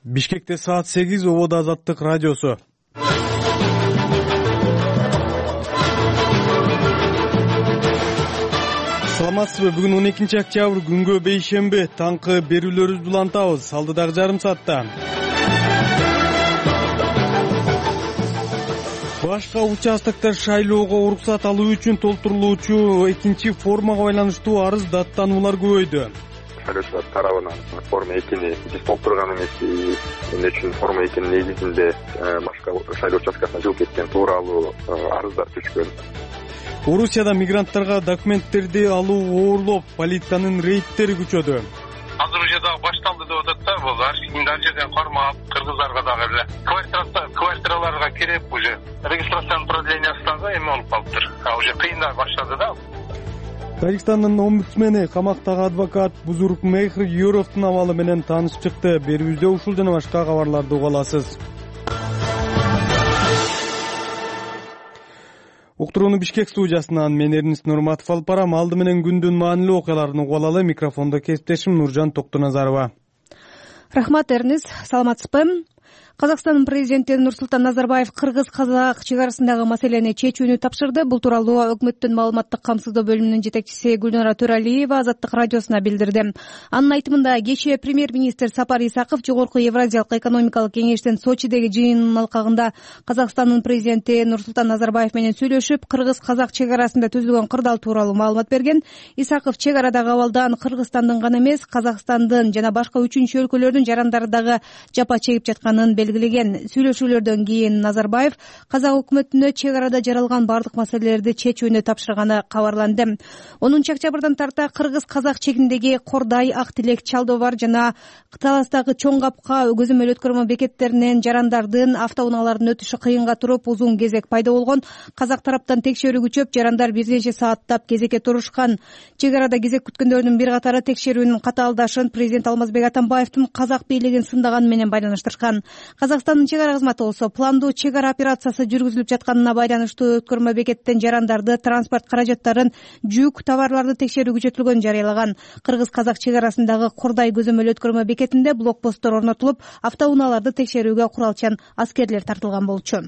Бишкекте саат 8 ободо Азаттык радиосу. Саламатсызбы? Бүгүн 12 октябрь күнгө бейшемби. Таңкы берүүлөрүбүздү улантабыз. Алдыдагы жарым саатта башка участоктор шайлоого уруксат алуу үчүн толтурулуучу экинчи формага байланыштуу арыз даттануулар көбөйдү. Шайлоочулар тарабынан форма 2-ни толтурган эмес, эмне үчүн форма 2-нин негизинде башка шайлоо участкасына жылып кеткен тууралуу арыздар түшкөн. Орусияда мигранттарга документтерди алуу оорлоп, полициянын рейдтери күчөдү. Азыр уже дагы башталды деп атат да, бул ар жерден кармап, кыргыздарга дагы эле квартираларга кирип уже регистрациянын продлениеси дагы эме болуп калыптыр. Уже кыйындай баштады да. Тажикстандын омбудсмени камактагы адвокат Бузурукмехр Юровдун абалы менен таанышып чыкты. Берүүбүздө ушул жана башка кабарларды уга аласыз. Уктурууну Бишкек студиясынан мен Эрнис Нурматов алып барам. Алды менен күндүн маанилүү окуяларын угуп алалы. Микрофондо кесиптешим Нуржан Токтоназарова. Рахмат, Эрнис. Саламатсызбы? Казакстандын президенти Нурсултан Назарбаев кыргыз-казак чек арасындагы маселени чечүүнү тапшырды. Бул тууралуу өкмөттүн маалыматтык камсыздоо бөлүмүнүн жетекчиси Гүлнара Төралиева Азаттык радиосуна билдирди. Анын айтымында кечээ премьер-министр Сапар Исаков Жогорку Евразиялык экономикалык кеңештин Сочидеги жыйынынын алкагында Казакстандын президенти Нурсултан Назарбаев менен сүйлөшүп, кыргыз-казак чек арасында түзүлгөн кырдаал тууралуу маалымат берген. Исаков чек арадагы абалдан Кыргызстандын гана эмес, Казакстандын жана башка үчүнчү өлкөлөрдүн жарандары дагы жапа чегип жатканын белгилеген. Сүйлөшүүлөрдөн кийин Назарбаев казак өкмөтүнө чек арада жаралган бардык маселелерди чечүүнү тапшырганы кабарланды. 10 октябрдан тарта кыргыз-казак чегиндеги Кордай, Ак Тилек, Чалдобар жана Таластагы Чоң Капка көзөмөл өткөрмө бекеттеринен жарандардын автоунаалардын өтүшү кыйынга туруп, узун кезек пайда болгон. Казак тараптан текшерүү күчөп, жарандар бир нече сааттап кезекке турушкан. Чек арада кезек күткөндөрдүн бир катары текшерүүнүн катаалдашын президент Алмазбек Атамбаевдин казак бийлигин сындаганы менен байланыштырышкан. Казакстандын чек ара кызматы болсо пландуу чек ара операциясы жүргүзүлүп жатканына байланыштуу өткөрмө бекеттен жарандарды, транспорт каражаттарын, жүк, товарларды текшерүү күчөтүлгөнүн жарыялаган. Кыргыз-казак чек арасындагы Кордай көзөмөл өткөрмө бекетинде блокпосттор орнотулуп, автоунааларды текшерүүгө куралчан аскерлер тартылган болчу.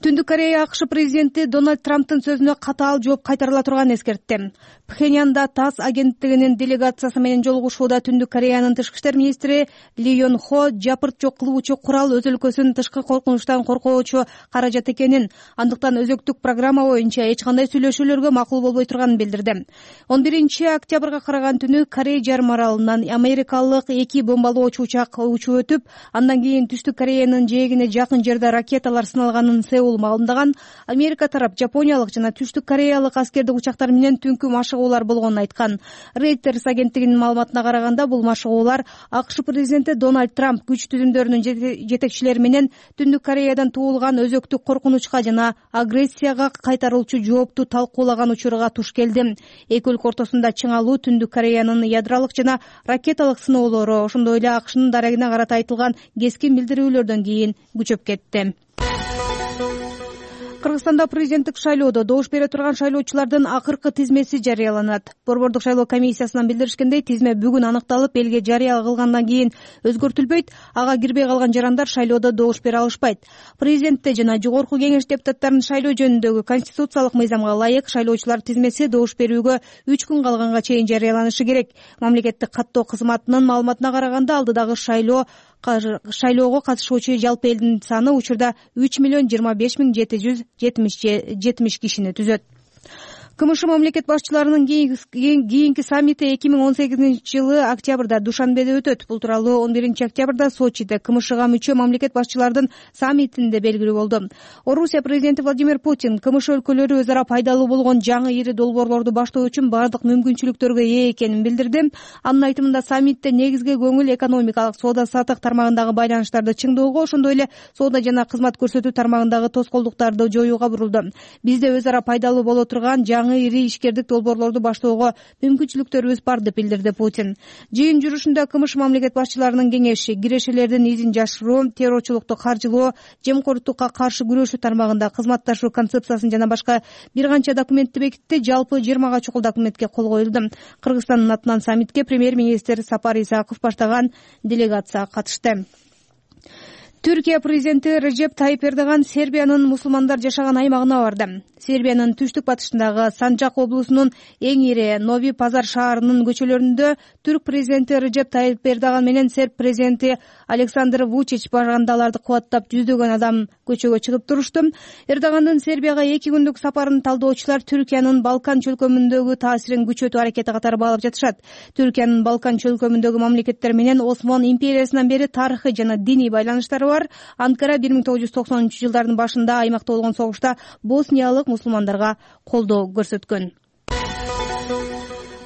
Түндүк Корея АКШ президенти Дональд Трамптын сөзүнө катаал жооп кайтарыла турганын эскертти. Пхеньянда ТАСС агенттигинин делегациясы менен жолугушууда Түндүк Кореянын тышкы иштер министри Ли Йон Хо жапырт жок кылуучу курал өз өлкөсүн тышкы коркунучтан коркоочу каражат экенин, андыктан өзөктүк программа боюнча эч кандай сүйлөшүүлөргө макул болбой турганын билдирди. 11 октябрга караган түнү Корей жарым аралынан америкалык 2 бомбалоочу учак учуп өтүп, андан кийин Түштүк Кореянын жээгине жакын жерде ракеталар сыналганын Сеул маалымдаган. Америка тарап жапониялык жана Түштүк Кореялык аскердик учактар менен түнкү машыгуулар болгонун айткан. Reuters агенттигинин маалыматына караганда, бул машыгуулар АКШ президенти Дональд Трамп күч түзүмдөрүнүн жетекчилери менен Түндүк Кореядан туулган өзөктүк коркунучка жана агрессияга кайтаруучу жоопту талкуулаган учурга туш келди. Эки өлкө ортосунда чыңалуу Түндүк Кореянын ядролук жана ракеталык сыноолору, ошондой эле АКШнын дарегине карата айтылган кескин билдирүүлөрдөн кийин күчөп кетти. Кыргызстанда президенттик шайлоодо добуш бере турган шайлоочулардын акыркы тизмеси жарыяланат. Борбордук шайлоо комиссиясынан билдиришкендей, тизме бүгүн аныкталып, элге жарыя кылгандан кийин өзгөртүлбөйт. Ага кирбей калган жарандар шайлоодо добуш бере алышпайт. Президентте жана жогорку кеңеш депутаттарын шайлоо жөнүндөгү конституциялык мыйзамга ылайык шайлоочулар тизмеси добуш берүүгө 3 күн калганга чейин жарыяланышы керек. Мамлекеттик каттоо кызматынын маалыматына караганда, алдыдагы шайлоого катышуучу жалпы элдин саны учурда 3,25,770 кишини түзөт. КМШ мамлекет башчыларынын кийинки саммити 2018-жылы октябрда Душанбеде өтөт. Бул тууралуу 11 октябрда Сочиде КМШга мүчө мамлекет башчылардын саммитинде белгилүү болду. Орусия президенти Владимир Путин КМШ өлкөлөрү өз ара пайдалуу болгон жаңы ири долбоорлорду баштоо үчүн бардык мүмкүнчүлүктөргө ээ экенин билдирди. Анын айтымында, саммитте негизги көңүл экономикалык, соода-саттык тармагындагы байланыштарды чыңдоого, ошондой эле соода жана кызмат көрсөтүү тармагындагы тоскоолдуктарды жоюуга бурулду. Бизде өз ара пайдалуу боло турган жаңы жаңы ири ишкердик долбоорлорду баштоого мүмкүнчүлүктөрүбүз бар деп билдирди Путин. Жыйын жүрүшүндө КМШ мамлекет башчыларынын кеңеши кирешелердин изин жашыруу, террорчулукту каржылоо, жемкордукка каршы күрөшүү тармагында кызматташуу концепциясын жана башка бир канча документти бекитти. Жалпы 20 чукул документке кол коюлду. Кыргызстандын атынан саммитке премьер-министр Сапар Исаков баштаган делегация катышты. Түркия президенти Режеп Тайип Эрдоган Сербиянын мусулмандар жашаган аймагына барды. Сербиянын түштүк батышындагы Санжак облусунун эң ири Нови Пазар шаарынын көчөлөрүндө түрк президенти Режеп Тайип Эрдоган менен серб президенти Александр Вучич барганда аларды кубаттап жүздөгөн адам көчөгө чыгып турушту. Эрдогандын Сербияга 2 күндүк сапарын талдоочулар Түркиянын Балкан чөлкөмүндөгү таасирин күчөтүү аракети катары баалап жатышат. Түркиянын Балкан чөлкөмүндөгү мамлекеттер менен Осман империясынан бери тарыхый жана диний байланыштары бар. Анкара 1990-жылдардын башында аймакта болгон согушта босниялык мусулмандарга колдоо көрсөткөн.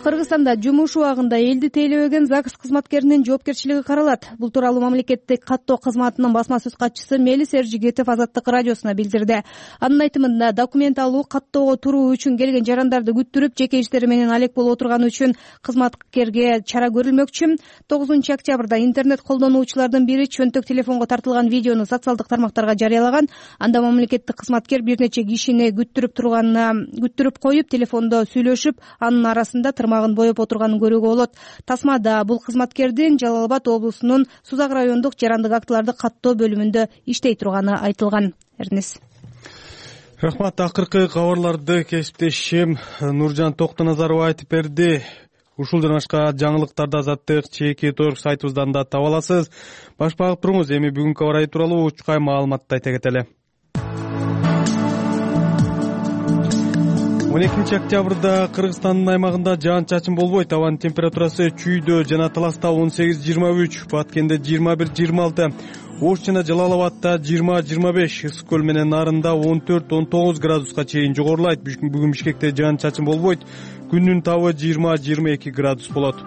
Кыргызстанда жумуш убагында элди тейлебеген ЗАГС кызматкеринин жоопкерчилиги каралат. Бул тууралуу мамлекеттик каттоо кызматынын басма сөз катчысы Мелис Эржигитов Азаттык радиосуна билдирди. Анын айтымында документ алуу, каттоого туруу үчүн келген жарандарды күттүрүп, жеке иштери менен алек болуп отурганы үчүн кызматкерге чара көрүлмөкчү. 9-октябрда интернет колдонуучулардын бири чөнтөк телефонго тартылган видеону социалдык тармактарга жарыялаган. Анда мамлекеттик кызматкер бир нече кишини күттүрүп коюп, телефондо сүйлөшүп, анын арасында боеп отурганын көрүүгө болот. Тасмада бул кызматкердин Жалал Абад облусунун Сузак райондук жарандык актыларды каттоо бөлүмүндө иштей турганы айтылган. Эрнис. Рахмат. Акыркы кабарларды кесиптешим Нуржан Токтоназарова айтып берди. Ушул жана башка жаңылыктарды Азаттык ЧК сайтыбыздан да таба аласыз. Баш багып туруңуз. Эми бүгүнкү аба ырайы тууралуу учкай маалыматты айта кетели. 12 октябрда Кыргызстандын аймагында жаан-чачын болбойт. Абанын температурасы Чүйдө жана Таласта 18-23, Баткенде 21-26, Ош жана Жалал Абадта 20-25, Ысык көл менен Нарында 14-19 градуска чейин жогорулайт. Бүгүн Бишкекте жаан-чачын болбойт. Күндүн табы 20-22 градус болот.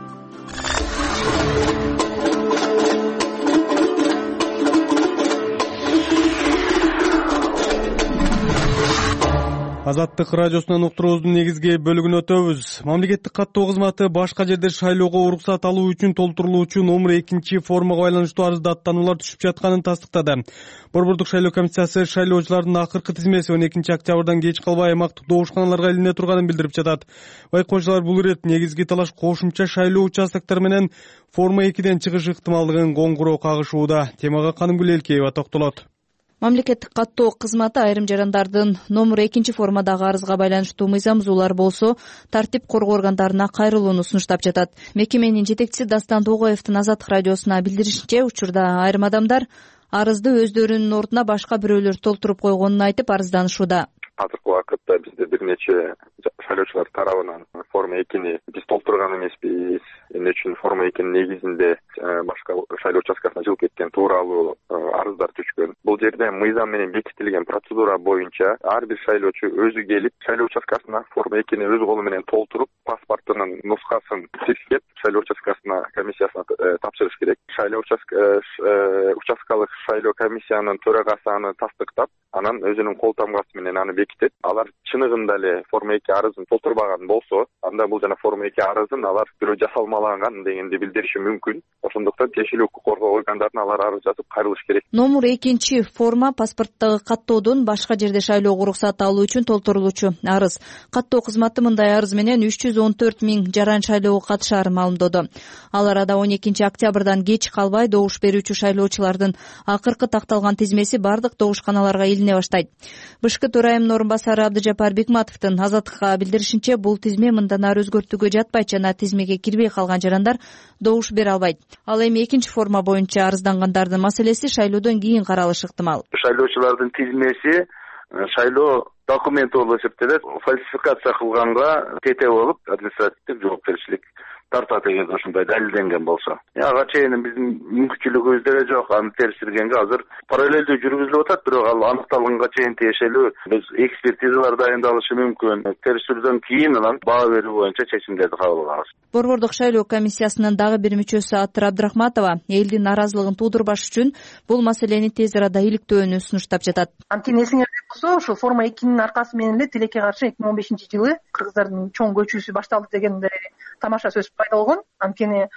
Азаттык радиосунан уктуруубуздун негизги бөлүгүнө өтөбүз. Мамлекеттик каттоо кызматы башка жерде шайлоого уруксат алуу үчүн толтурулуучу номер 2 формага байланыштуу арызда аттануулар түшүп жатканын тастыктады. Борбордук шайлоо комиссиясы шайлоочулардын акыркы тизмеси 12 октябрдан кеч калбай аймактык добушканаларга илине турганын билдирип жатат. Байкоочулар бул ирет негизги талаш кошумча шайлоо участоктор менен форма 2ден чыгыш ыктымалдыгын коңгуроо кагышууда. Темага Канымгүл Элкеева токтолот. Мамлекеттик каттоо кызматы айрым жарандардын номер 2 формадагы арызга байланыштуу мыйзам бузуулар болсо, тартип коргоо органдарына кайрылууну сунуштап жатат. Мекеменин жетекчиси Дастан Тогоевдин Азаттык радиосуна билдиришинче, учурда айрым адамдар арызды өздөрүнүн ордуна башка бирөөлөр толтуруп койгонун айтып арызданышууда. Азыркы убакытта бизде бир нече шайлоочулар тарабынан форма 2-ни биз толтурган эмеспиз. Эмне үчүн форма 2-нин негизинде башка шайлоо участкасына жылып кеткен тууралуу арыздар түшкөн. Бул жерде мыйзам менен бекитилген процедура боюнча ар бир шайлоочу өзү келип, шайлоо участкасына форма 2-ни өз колу менен толтуруп, паспортунун нускасын тиркеп, шайлоо участкасына комиссиясына тапшырыш керек. Шайлоо участкалык шайлоо комиссиянын төрагасы аны тастыктап, анан өзүнүн кол тамгасы менен аны бекитет. Алар чыныгында эле форма 2 арызын толтурбаган болсо, анда бул жана форма 2 арызын алар бирөө жасалмалаган дегенди билдириши мүмкүн. Ошондуктан тиешелүү укук коргоо органдарына алар арыз жазып кайрылыш керек. Номер 2 форма паспорттогу каттоодон башка жерде шайлоого уруксат алуу үчүн толтурулуучу арыз. Каттоо кызматы мындай арыз менен 314 000 жаран шайлоого катышарын маалымдоду. Ал арада 12 октябрдан кеч калбай добуш берүүчү шайлоочулардын акыркы такталган тизмеси бардык добушканаларга илине баштайт. Бышкы төрайымынын орун басары Абдыжапар Бекматовдун Азаттыкка билдиришинче, бул тизме мындан ары өзгөртүүгө жатпайт жана тизмеге кирбей калган жарандар добуш бере албайт. Ал эми 2 форма боюнча арыздангандардын маселеси шайлоодон кийин каралышы ыктымал. Шайлоочулардын тизмеси шайлоо документи болуп эсептелет. Фальсификация кылганга тете болуп административдик жоопкерчилик тартат эгерде ушундай далилденген болсо. Ага чейин биздин мүмкүнчүлүгүбүз деле жок. Аны териштиргенге азыр параллелдүү жүргүзүлүп атат, бирок ал аныкталганга чейин тиешелүү биз экспертизалар дайындалышы мүмкүн. Териштирүүдөн кийин анан баа берүү боюнча чечимдерди кабыл алабыз. Борбордук шайлоо комиссиясынын дагы бир мүчөсү Аттыр Абдрахматова элдин нааразылыгын туудурбаш үчүн бул маселени тез арада иликтөөнү сунуштап жатат. Анткени эсиңерде болсо, ушул форма 2-нин аркасы менен эле тилекке каршы 2015-жылы кыргыздардын чоң көчүүсү башталды дегенде тамаша сөз пайда болгон. Анткени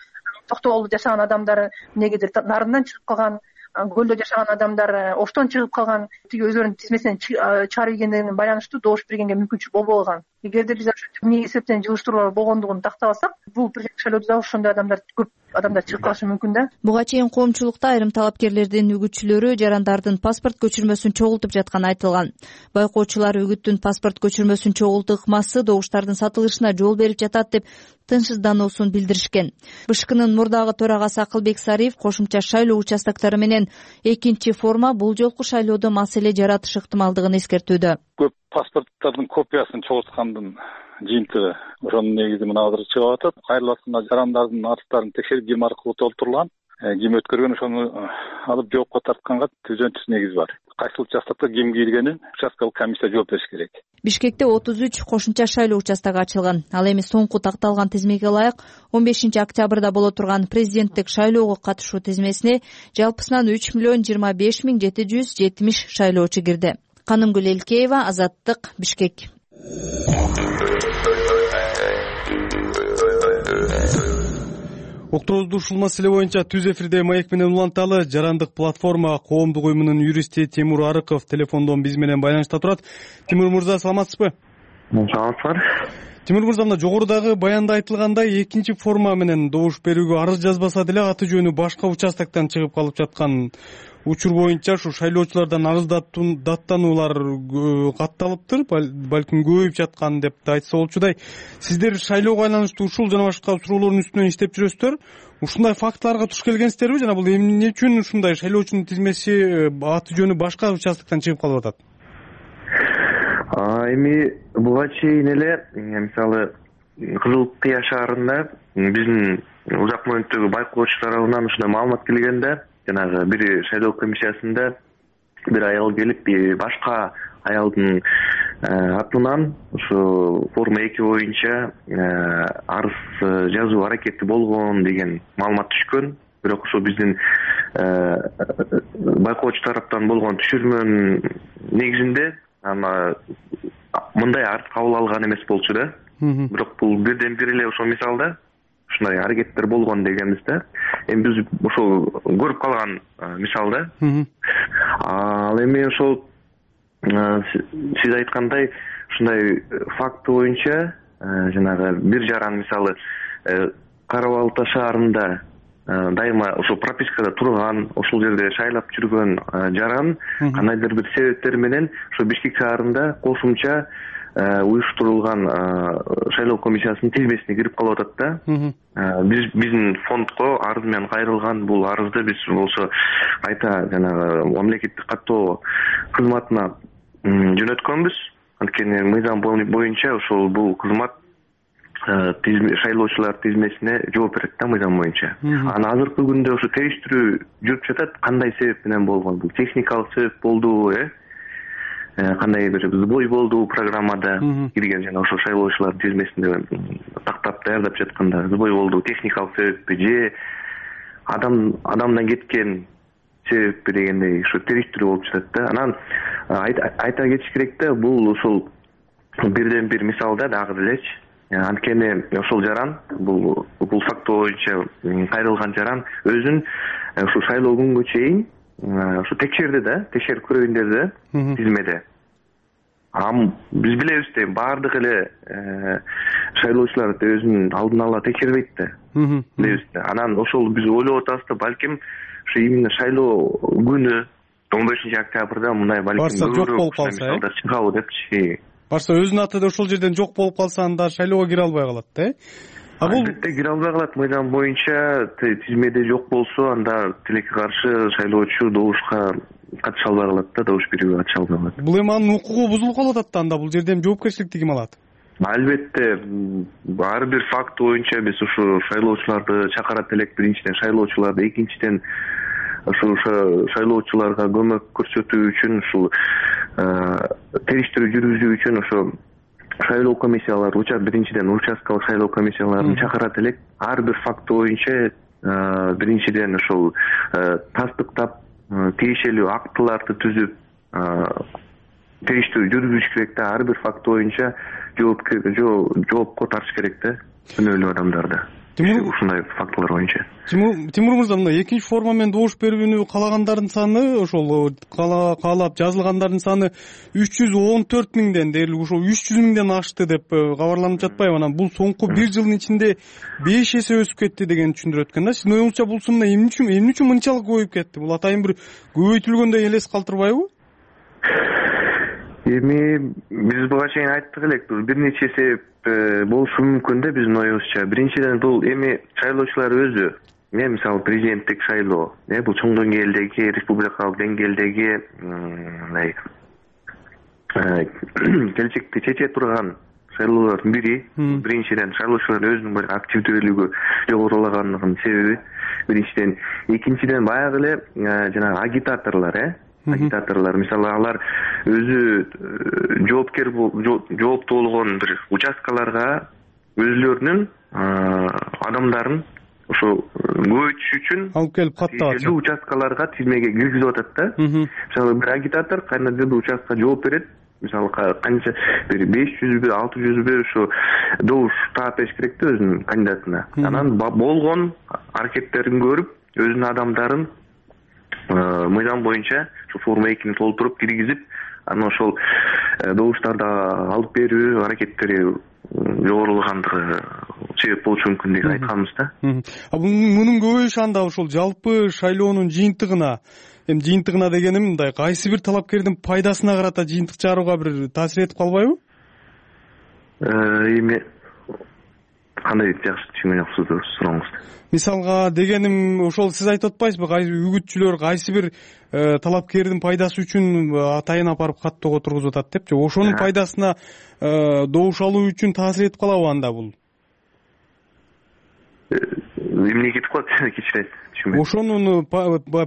Токтогулдо жашаган адамдар эмнегедир нарындан чыгып калган, көлдө жашаган адамдар оштон чыгып калган, тиги өздөрүнүн тизмесинен чыгарып ийгендерине байланыштуу добуш бергенге мүмкүнчүлүк болбой калган. Эгерде биз эмне эсептен жылыштыруулар болгондугун тактабасак, бул президенттик шайлоодо да ошондой көп адамдар чыгып калышы мүмкүн да. Буга чейин коомчулукта айрым талапкерлердин үгүтчүлөрү жарандардын паспорт көчүрмөсүн чогултуп жатканы айтылган. Байкоочулар үгүттүн паспорт көчүрмөсүн чогултуу ыкмасы добуштардын сатылышына жол берип жатат деп тынчсыздануусун билдиришкен. БШКнын мурдагы төрагасы Акылбек Сариев кошумча шайлоо участоктору менен экинчи форма бул жолку шайлоодо маселе жаратышы ыктымалдыгын эскертүүдө. Көп паспорттардын копиясын чогулткандын жыйынтыгы ошонун негизи мына азыр чыгып атат. Кайрыласына жарандардын аттарын текшерип ким аркылуу толтурулган, ким өткөргөн ошону алып жоопко тартканга түзөн-түз негиз бар. Кайсыл участокто ким киргенин участкалык комиссия жооп бериш керек. Бишкекте 33 кошумча шайлоо участогу ачылган. Ал эми соңку такталган тизмеге ылайык 15-октябрда боло турган президенттик шайлоого катышуу тизмесине жалпысынан 3,25,770 шайлоочу кирди. Канымгүл Элкеева, Азаттык, Бишкек. Уктуруубузду ушул маселе боюнча түз эфирде маек менен уланталы. Жарандык платформа коомдук уюмунун юристи Тимур Арыков телефондон биз менен байланышта турат. Тимур мырза, саламатсызбы? Саламатсызбы. Тимур мырза, мына жогорудагы баянда айтылгандай экинчи форма менен добуш берүүгө арыз жазбаса деле аты жөнү башка участоктон чыгып калып жаткан учур боюнча ушу шайлоочулардан арыз даттануулар катталыптыр, балким көбөйүп жаткан деп да айтса болчудай. Сиздер шайлоого байланыштуу ушул жана башка суроолордун үстүнөн иштеп жүрөсүздөр. Ушундай фактыларга туш келгенсиздерби жана бул эмне үчүн ушундай шайлоочунун тизмеси аты жөнү башка участоктон чыгып калып атат? Эми буга чейин эле мисалы Кызыл Кыя шаарында биздин узак мөөнөттөгү байкоочу тарабынан ушундай маалымат келгенде, жанагы бир шайлоо комиссиясында бир аял келип башка аялдын атынан ушу форма 2 боюнча арыз жазуу аракети болгон деген маалымат түшкөн. Бирок ошо биздин байкоочу тараптан болгон түшүрмөнүн негизинде мындай арыз кабыл алган эмес болчу да. Бирок бул бирден бир эле ошо мисалда ушундай аракеттер болгон дегенбиз да. Эми биз ошол көрүп калган мисалда. Ал эми ошол сиз айткандай ушундай факт боюнча жанагы бир жаран мисалы Кара Балта шаарында дайыма ошол пропискада турган, ошол жерде шайлап жүргөн жаран кандайдыр бир себептер менен ошо Бишкек шаарында кошумча уюштурулган шайлоо комиссиясынын тизмесине кирип калып атат да. Биздин фондко арыз менен кайрылган бул арызды биз болсо кайта жанагы мамлекеттик каттоо кызматына жөнөткөнбүз. Анткени мыйзам боюнча ошол бул кызмат шайлоочулар тизмесине жооп берет да, мыйзам боюнча. Анан азыркы күндө ошо териштирүү жүрүп жатат. Кандай себеп менен болгон? Бул техникалык себеп болдубу, кандай бир сбой болду программада кирген жана ошо шайлоочулар тизмесинде тактап даярдап жатканда сбой болду, техникалык себеппи же адамдан кеткен себеппи дегендей ошо териштирүү болуп жатат да. Анан айта кетиш керек да, бул ошол бирден бир мисалда дагы делечи. Анткени ошол жаран бул факт боюнча кайрылган жаран өзүн ушу шайлоо күнгө чейин ушу текшерди да, текшерип көрөйүн деди да тизмеде. Биз билебиз да, баардык эле шайлоочулар өзүн алдын ала текшербейт да. Билебиз да. Анан ошол биз ойлоп атабыз да, балким ушу именно шайлоо күнү 15-октябрда мындай балким жок болуп калса, чыгабы депчи. Барса өзүнүн аты да ошол жерден жок болуп калса, анда шайлоого кире албай калат да. Албетте кире албай калат. Мыйзам боюнча тизмеде жок болсо, анда тилекке каршы шайлоочу добушка катыша албай калат да, добуш берүүгө катыша албай калат. Бул эми анын укугу бузулуп калып атат да, анда бул жерден жоопкерчиликти ким алат? Албетте ар бир факт боюнча биз ушу шайлоочуларды чакырат элек. Биринчиден шайлоочуларды, экинчиден ушул шайлоочуларга көмөк көрсөтүү үчүн, ушул териштирүү жүргүзүү үчүн ошо шайлоо комиссиялары, биринчиден участкалык шайлоо комиссияларын чакырат элек. Ар бир факт боюнча биринчиден ошол тастыктап, тиешелүү актыларды түзүп, териштирүү жүргүзүш керек да. Ар бир факт боюнча жоопко тартыш керек да күнөөлүү адамдарды. Ушундай фактылар боюнча. Тимур мырза, мына экинчи форма менен добуш берүүнү каалагандардын саны, ошол каалап жазылгандардын саны 314 миңден дээрлик ошол 300 миңден ашты деп кабарланып жатпайбы? Анан бул соңку бир жылдын ичинде 5 эсе өсүп кетти деген түшүндүрөт экен да. Сиздин оюңузча бул сумма эмне үчүн мынчалык көбөйүп кетти? Бул атайын бир көбөйтүлгөндөй элес калтырбайбы? Эми биз буга чейин айттык элек, бир нече себеп болушу мүмкүн да биздин оюбузча. Биринчиден бул эми шайлоочулар өзү, мисалы президенттик шайлоо, бул чоң деңгээлдеги, республикалык деңгээлдеги келечекти чече турган шайлоолордун бири. Биринчиден шайлоочулар өзүнүн бир активдүүлүгү жогорулагандыгынын себеби биринчиден. Экинчиден баягы эле жанагы агитаторлор, мисалы алар өзү жооптуу болгон бир участкаларга өзүлөрүнүн адамдарын ошо көбөйтүш үчүн алып келип каттап участкаларга тизмеге киргизип атат да. Мисалы бир агитатор кандайдыр бир участкага жооп берет, мисалы канча бир 500бү 600бү ошо добуш таап бериш керек да өзүнүн кандидатына. Анан болгон аракеттерин көрүп, өзүнүн адамдарын мыйзам боюнча ушу форма 2-ни толтуруп киргизип, анан ошол добуштарды алып берүү аракеттери жогорулагандыгы себеп болушу мүмкүн деп айтканбыз да. Мунун көбөйүшү анда ошол жалпы шайлоонун жыйынтыгына, жыйынтыгына дегеним мындай, кайсы бир талапкердин пайдасына карата жыйынтык чыгарууга бир таасир этип калбайбы? Эми кандай жакшы түшүнгөн жоксуз сурооңузду. Мисалга дегеним ошол сиз айтып атпайсызбы, үгүтчүлөр кайсы бир талапкердин пайдасы үчүн атайын апарып каттоого тургузуп атат депчи. Ошонун пайдасына добуш алуу үчүн таасир этип калабы анда бул? Эмне кетип калат? Кичине түшүнбөйм. Ошонун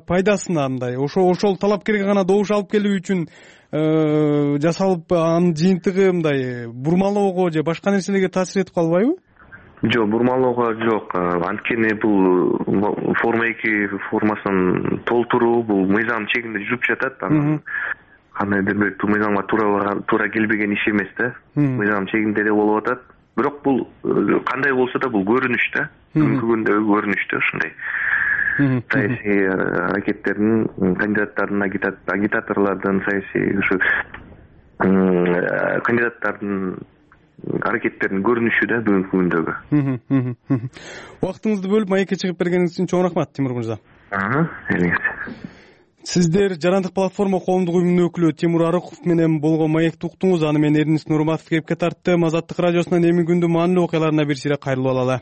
пайдасына мындай, ошол талапкерге гана добуш алып келүү үчүн жасалып, анын жыйынтыгы мындай бурмалоого же башка нерселерге таасир этип калбайбы? Жок, бурмалоого жок. Анткени бул форма 2 формасын толтуруу бул мыйзам чегинде жүрүп жатат. Кандайдыр бир мыйзамга туура келбеген иш эмес да. Мыйзам чегинде эле болуп атат. Бирок бул кандай болсо да бул көрүнүш да. Бүгүнкү күндөгү көрүнүш да ушундай. Саясий аракеттердин, кандидаттардын, агитаторлордун, саясий ушу кандидаттардын аракеттердин көрүнүшү да бүгүнкү күндөгү. Убактыңызды бөлүп маекке чыгып бергениңиз үчүн чоң рахмат, Тимур мырза. Сиздер Жарандык платформа коомдук уюмунун өкүлү Тимур Арыков менен болгон маекти уктуңуз. Аны мен Эрнис Нурматов кепке тарттым. Азаттык радиосунун эми күндү маанилүү окуяларына бир сире кайрылып алалы.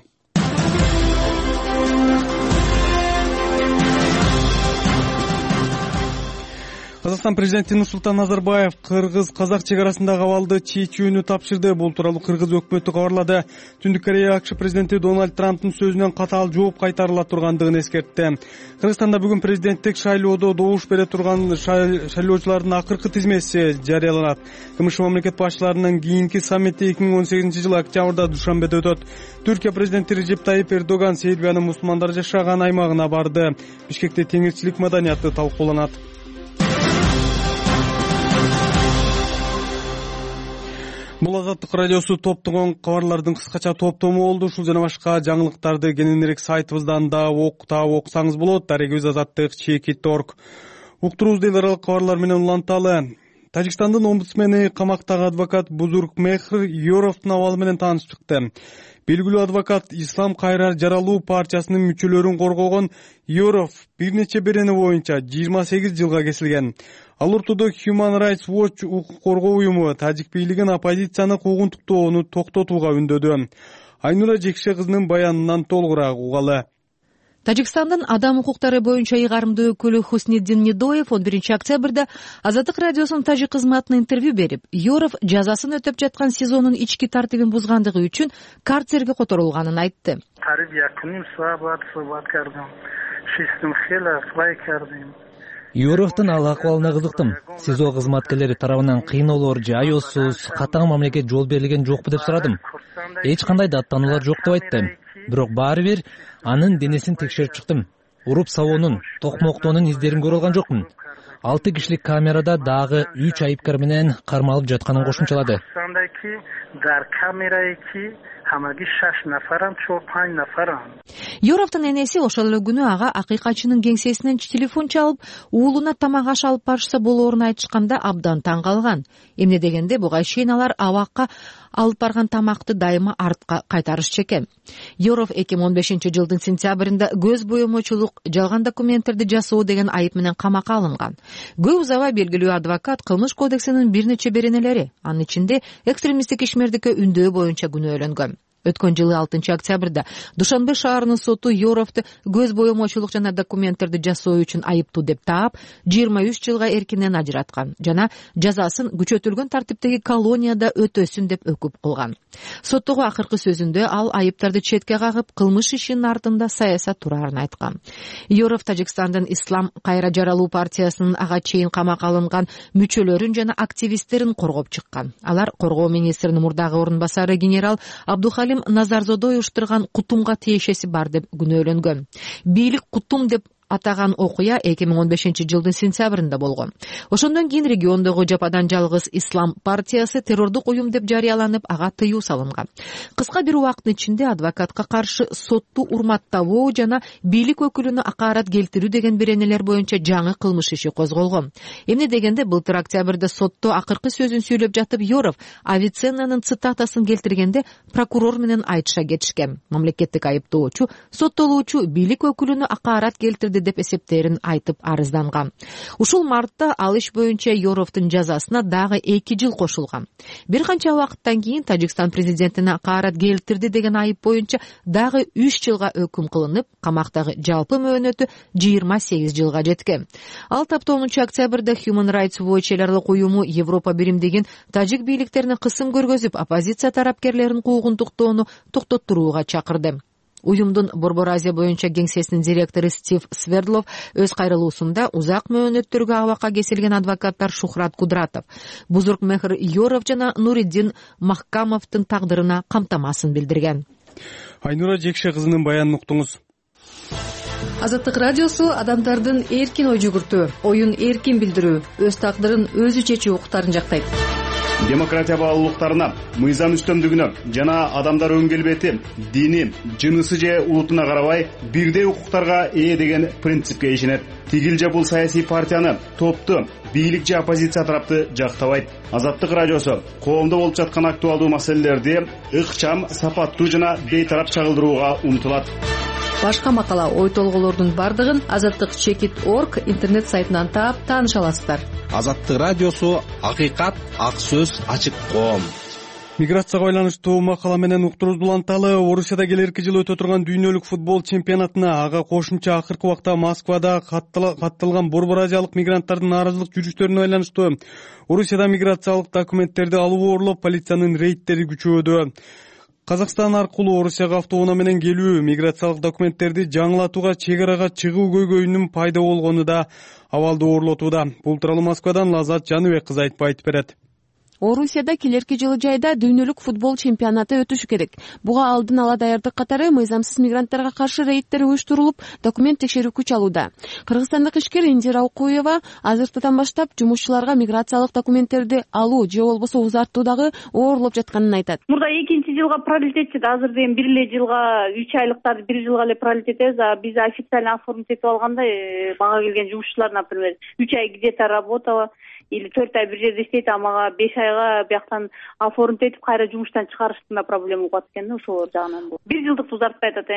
Казакстан президенти Нурсултан Назарбаев кыргыз-казак чек арасындагы абалды чечүүнү тапшырды. Бул тууралуу кыргыз өкмөтү кабарлады. Түндүк Корея АКШ президенти Дональд Трамптын сөзүнөн катаал жооп кайтарыла тургандыгын эскертти. Кыргызстанда бүгүн президенттик шайлоодо добуш бере турган шайлоочулардын акыркы тизмеси жарыяланат. КМШ мамлекет башчыларынын кийинки саммити 2018 октябрда Душанбеде өтөт. Түркия президенти Режеп Тайип Эрдоган Сербиянын мусулмандар жашаган аймагына барды. Бишкекте теңирчилик маданияты талкууланат. Бул Азаттык радиосу топтогон кабарлардын кыскача топтому болду. Ушул жана башка жаңылыктарды кененирээк сайтыбыздан да окусаңыз болот. Дарегибиз azattik.org. Уктурубузду эл аралык кабарлар менен уланталы. Тажикстандын омбудсмени камактагы адвокат Бузургмехр Йоровдун абалы менен таанышып чыкты. Белгилүү адвокат Ислам Кайрар Жаралуу партиясынын мүчөлөрүн коргогон Йоров бир нече берени боюнча 28 жылга кесилген. Ал ортодо Human Rights Watch укук коргоо уюму тажик бийлигин оппозицияны куугунтуктоону токтотууга үндөдү. Айнура Жекше кызынын баянынан толугураак угалы. Тажикстандын адам укуктары боюнча ыйгарымдуу өкүлү Хусниддин Нидоев 11 октябрда Азаттык радиосунун тажик кызматына интервью берип, Юров жазасын өтөп жаткан СИЗОнун ички тартибин бузгандыгы үчүн карцерге которулганын айтты. Юровдун ал акыбалына кызыктым. СИЗО кызматкерлери тарабынан кыйноолор же аяосуз, катаң мамлекет жол берилген жокпу деп сурадым. Эч кандай даттануулар жок деп айтты. Бирок баары бир анын денесин текшерип чыктым. Уруп сабоонун, токмоктоонун издерин көрө алган жокмун. 6 кишилик камерада дагы 3 айыпкар менен кармалып жатканын кошумчалады. Юровдун энеси ошол эле күнү ага акыйкатчынын кеңсесинен телефон чалып, уулуна тамак аш алып барышса болоорун айтышканда абдан таң калган. Эмне дегенде буга чейин алар абакка алып барган тамакты дайыма артка кайтарышчу экен. Юров 2015-жылдын сентябрында көз боемочулук, жалган документтерди жасоо деген айып менен камакка алынган. Көп узабай белгилүү адвокат кылмыш кодексинин бир нече беренелери, анын ичинде экстремисттик ишмердикке үндөө боюнча күнөөлөнгөн. Өткөн жылы 6 октябрда Душанбе шаарынын соту Юровду көз боемочулук жана документтерди жасоо үчүн айыптуу деп таап, 23 жылга эркинен ажыраткан жана жазасын күчөтүлгөн тартиптеги колонияда өтөсүн деп өкүп кылган. Соттогу акыркы сөзүндө ал айыптарды четке кагып, кылмыш ишинин артында саясат турарын айткан. Юров Тажикстандын Ислам кайра жаралуу партиясынын ага чейин камакка алынган мүчөлөрүн жана активисттерин коргоп чыккан. Алар коргоо министринин мурдагы орун басары генерал Абдухалим Назарзодой уштурган кутумга тиешеси бар деп күнөөлөнгөн. Бийлик кутум деп атаган окуя 2015-жылдын сентябрында болгон. Ошондон кийин региондогу жападан жалгыз Ислам партиясы террордук уюм деп жарыяланып, ага тыюу салынган. Кыска бир убакыттын ичинде адвокатка каршы сотту урматтабоо жана бийлик өкүлүнө акаарат келтирүү деген беренелер боюнча жаңы кылмыш иши козголгон. Эмне дегенде былтыр октябрда сотто акыркы сөзүн сүйлөп жатып, Юров Авиценнанын цитатасын келтиргенде прокурор менен айтыша кетишкен. Мамлекеттик айыптоочу соттолуучу бийлик өкүлүнө акаарат келтирди деп эсептерин айтып арызданган. Ушул мартта ал иш боюнча Юровдун жазасына дагы 2 жыл кошулган. Бир канча убакыттан кийин Тажикстан президентине акаарат келтирди деген айып боюнча дагы 3 жылга өкүм кылынып, камактагы жалпы мөөнөтү 28 жылга жеткен. Ал тапта 10 октябрда Human Rights Watch эларлык уюму Европа биримдигин тажик бийликтерине кысым көргөзүп, оппозиция тарапкерлерин куугунтуктоону токтоттурууга чакырды. Уюмдун Борбор Азия боюнча кеңсесинин директору Стив Свердлов өз кайрылуусунда узак мөөнөттөргө абакка кесилген адвокаттар Шухрат Кудратов, Бузург Мехр Юров жана Нуриддин Махкамовдун тагдырына камтамасын билдирген. Айнура Жекше кызынын баянын уктуңуз. Азаттык радиосу адамдардын эркин ой жүгүртүү, оюн эркин билдирүү, өз тагдырын өзү чечүү укуктарын жактайт. Демократия баалуулуктарына, мыйзам үстөмдүгүнө жана адамдар өң келбети, дини, жынысы же улутуна карабай бирдей укуктарга ээ деген принципке ишенет. Тигил же бул саясий партияны, топту, бийлик же оппозиция тарапты жактабайт. Азаттык радиосу коомдо болуп жаткан актуалдуу маселелерди ыкчам, сапаттуу жана бейтарап чагылдырууга умтулат. Башка макала, ой толголордун бардыгын azattik.org интернет сайтынан таап тааныша аласыздар. Азаттык радиосу акыйкат, ак сөз, ачык коом. Миграцияга байланыштуу макала менен уктуруубузду уланталы. Орусияда келерки жылы өтө турган дүйнөлүк футбол чемпионатына ага кошумча акыркы убакта Москвада катталган Борбор Азиялык мигранттардын нааразылык жүрүштөрүнө байланыштуу Орусияда миграциялык документтерди алуу орлоп, полициянын рейдтери күчөдү. Казакстан аркылуу Орусияга автоунаа менен келүү, миграциялык документтерди жаңылатууга чек арага чыгуу көйгөйүнүн пайда болгону да абалды оорлотууда. Бул тууралуу Москвадан Лазат Жаныбек кызы айтып берет. Орусияда келерки жылы жайда дүйнөлүк футбол чемпионаты өтүшү керек. Буга алдын ала даярдык катары мыйзамсыз мигранттарга каршы рейдтер уюштурулуп, документ текшерүү күч алууда. Кыргызстандык ишкер Индира Укуева азыркыдан баштап жумушчуларга миграциялык документтерди алуу же болбосо узартуудагы оорлоп жатканын айтат. Мурда 2 жылга пролетет чыды, азыр ден 1 эле жылга 3 айлыктарды 1 жылга эле пролетет этебиз. Биз официально оформить этип алганда мага келген жумушчулар, например, 3 ай где-то работала или 4 ай бир жерде иштейт, а мага 5 айга бияктан оформить этип кайра жумуштан чыгарыштığında проблема болот экен да, ошолор жагынан. 1 жылдык узартпай атат.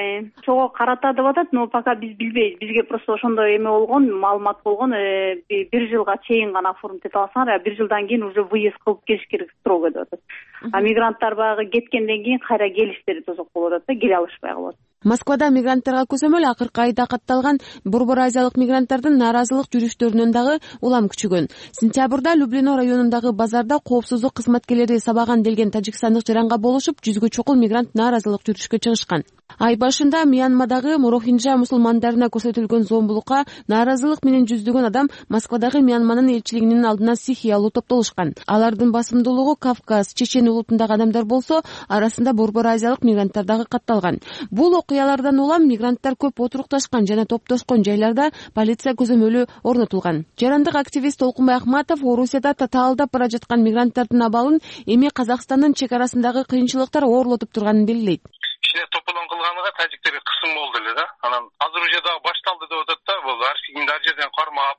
Чого карата деп атат, но пока биз билбейбиз. Бизге просто ошондой эме болгон, маалымат болгон, 1 жылга чейин гана оформить эте алсаңар, 1 жылдан кийин уже выезд кылып келиш керек строго деп атат. А мигранттар баягы кеткенден кийин кайра келиштери тозок болуп атат да, келе алышпай калат. Москвада мигранттарга көзөмөл акыркы айда катталган Борбор Азиялык мигранттардын нааразылык жүрүштөрүнөн дагы улам күчөгөн. Сентябрда Люблино районундагы базарда коопсуздук кызматкерлери сабаган делген тажикстандык жаранга болушуп, 100гө чукул мигрант нааразылык жүрүшкө чыгышкан. Ай башында Мьянмадагы Морохинджа мусулмандарына көрсөтүлгөн зомбулукка нааразылык менен жүздөгөн адам Москвадагы Мьянманын элчилигинин алдына сихиялуу топтолушкан. Алардын басымдуулугу Кавказ, Чечен улутундагы адамдар болсо, арасында Борбор Азиялык мигранттар дагы катталган. Бул окуялардан улам мигранттар көп отурукташкан жана топтошкон жайларда полиция көзөмөлү орнотулган. Жарандык активист Толкунбай Акматов Орусияда татаалдап бара жаткан мигранттардын абалын эми Казакстандын чек арасындагы кыйынчылыктар оорлотуп турганын белгилейт. Кичине тополон кылганыга тажиктерге кысым болду эле да. Анан азыр уже дагы башталды деп атат да. Бул ар жерден кармап,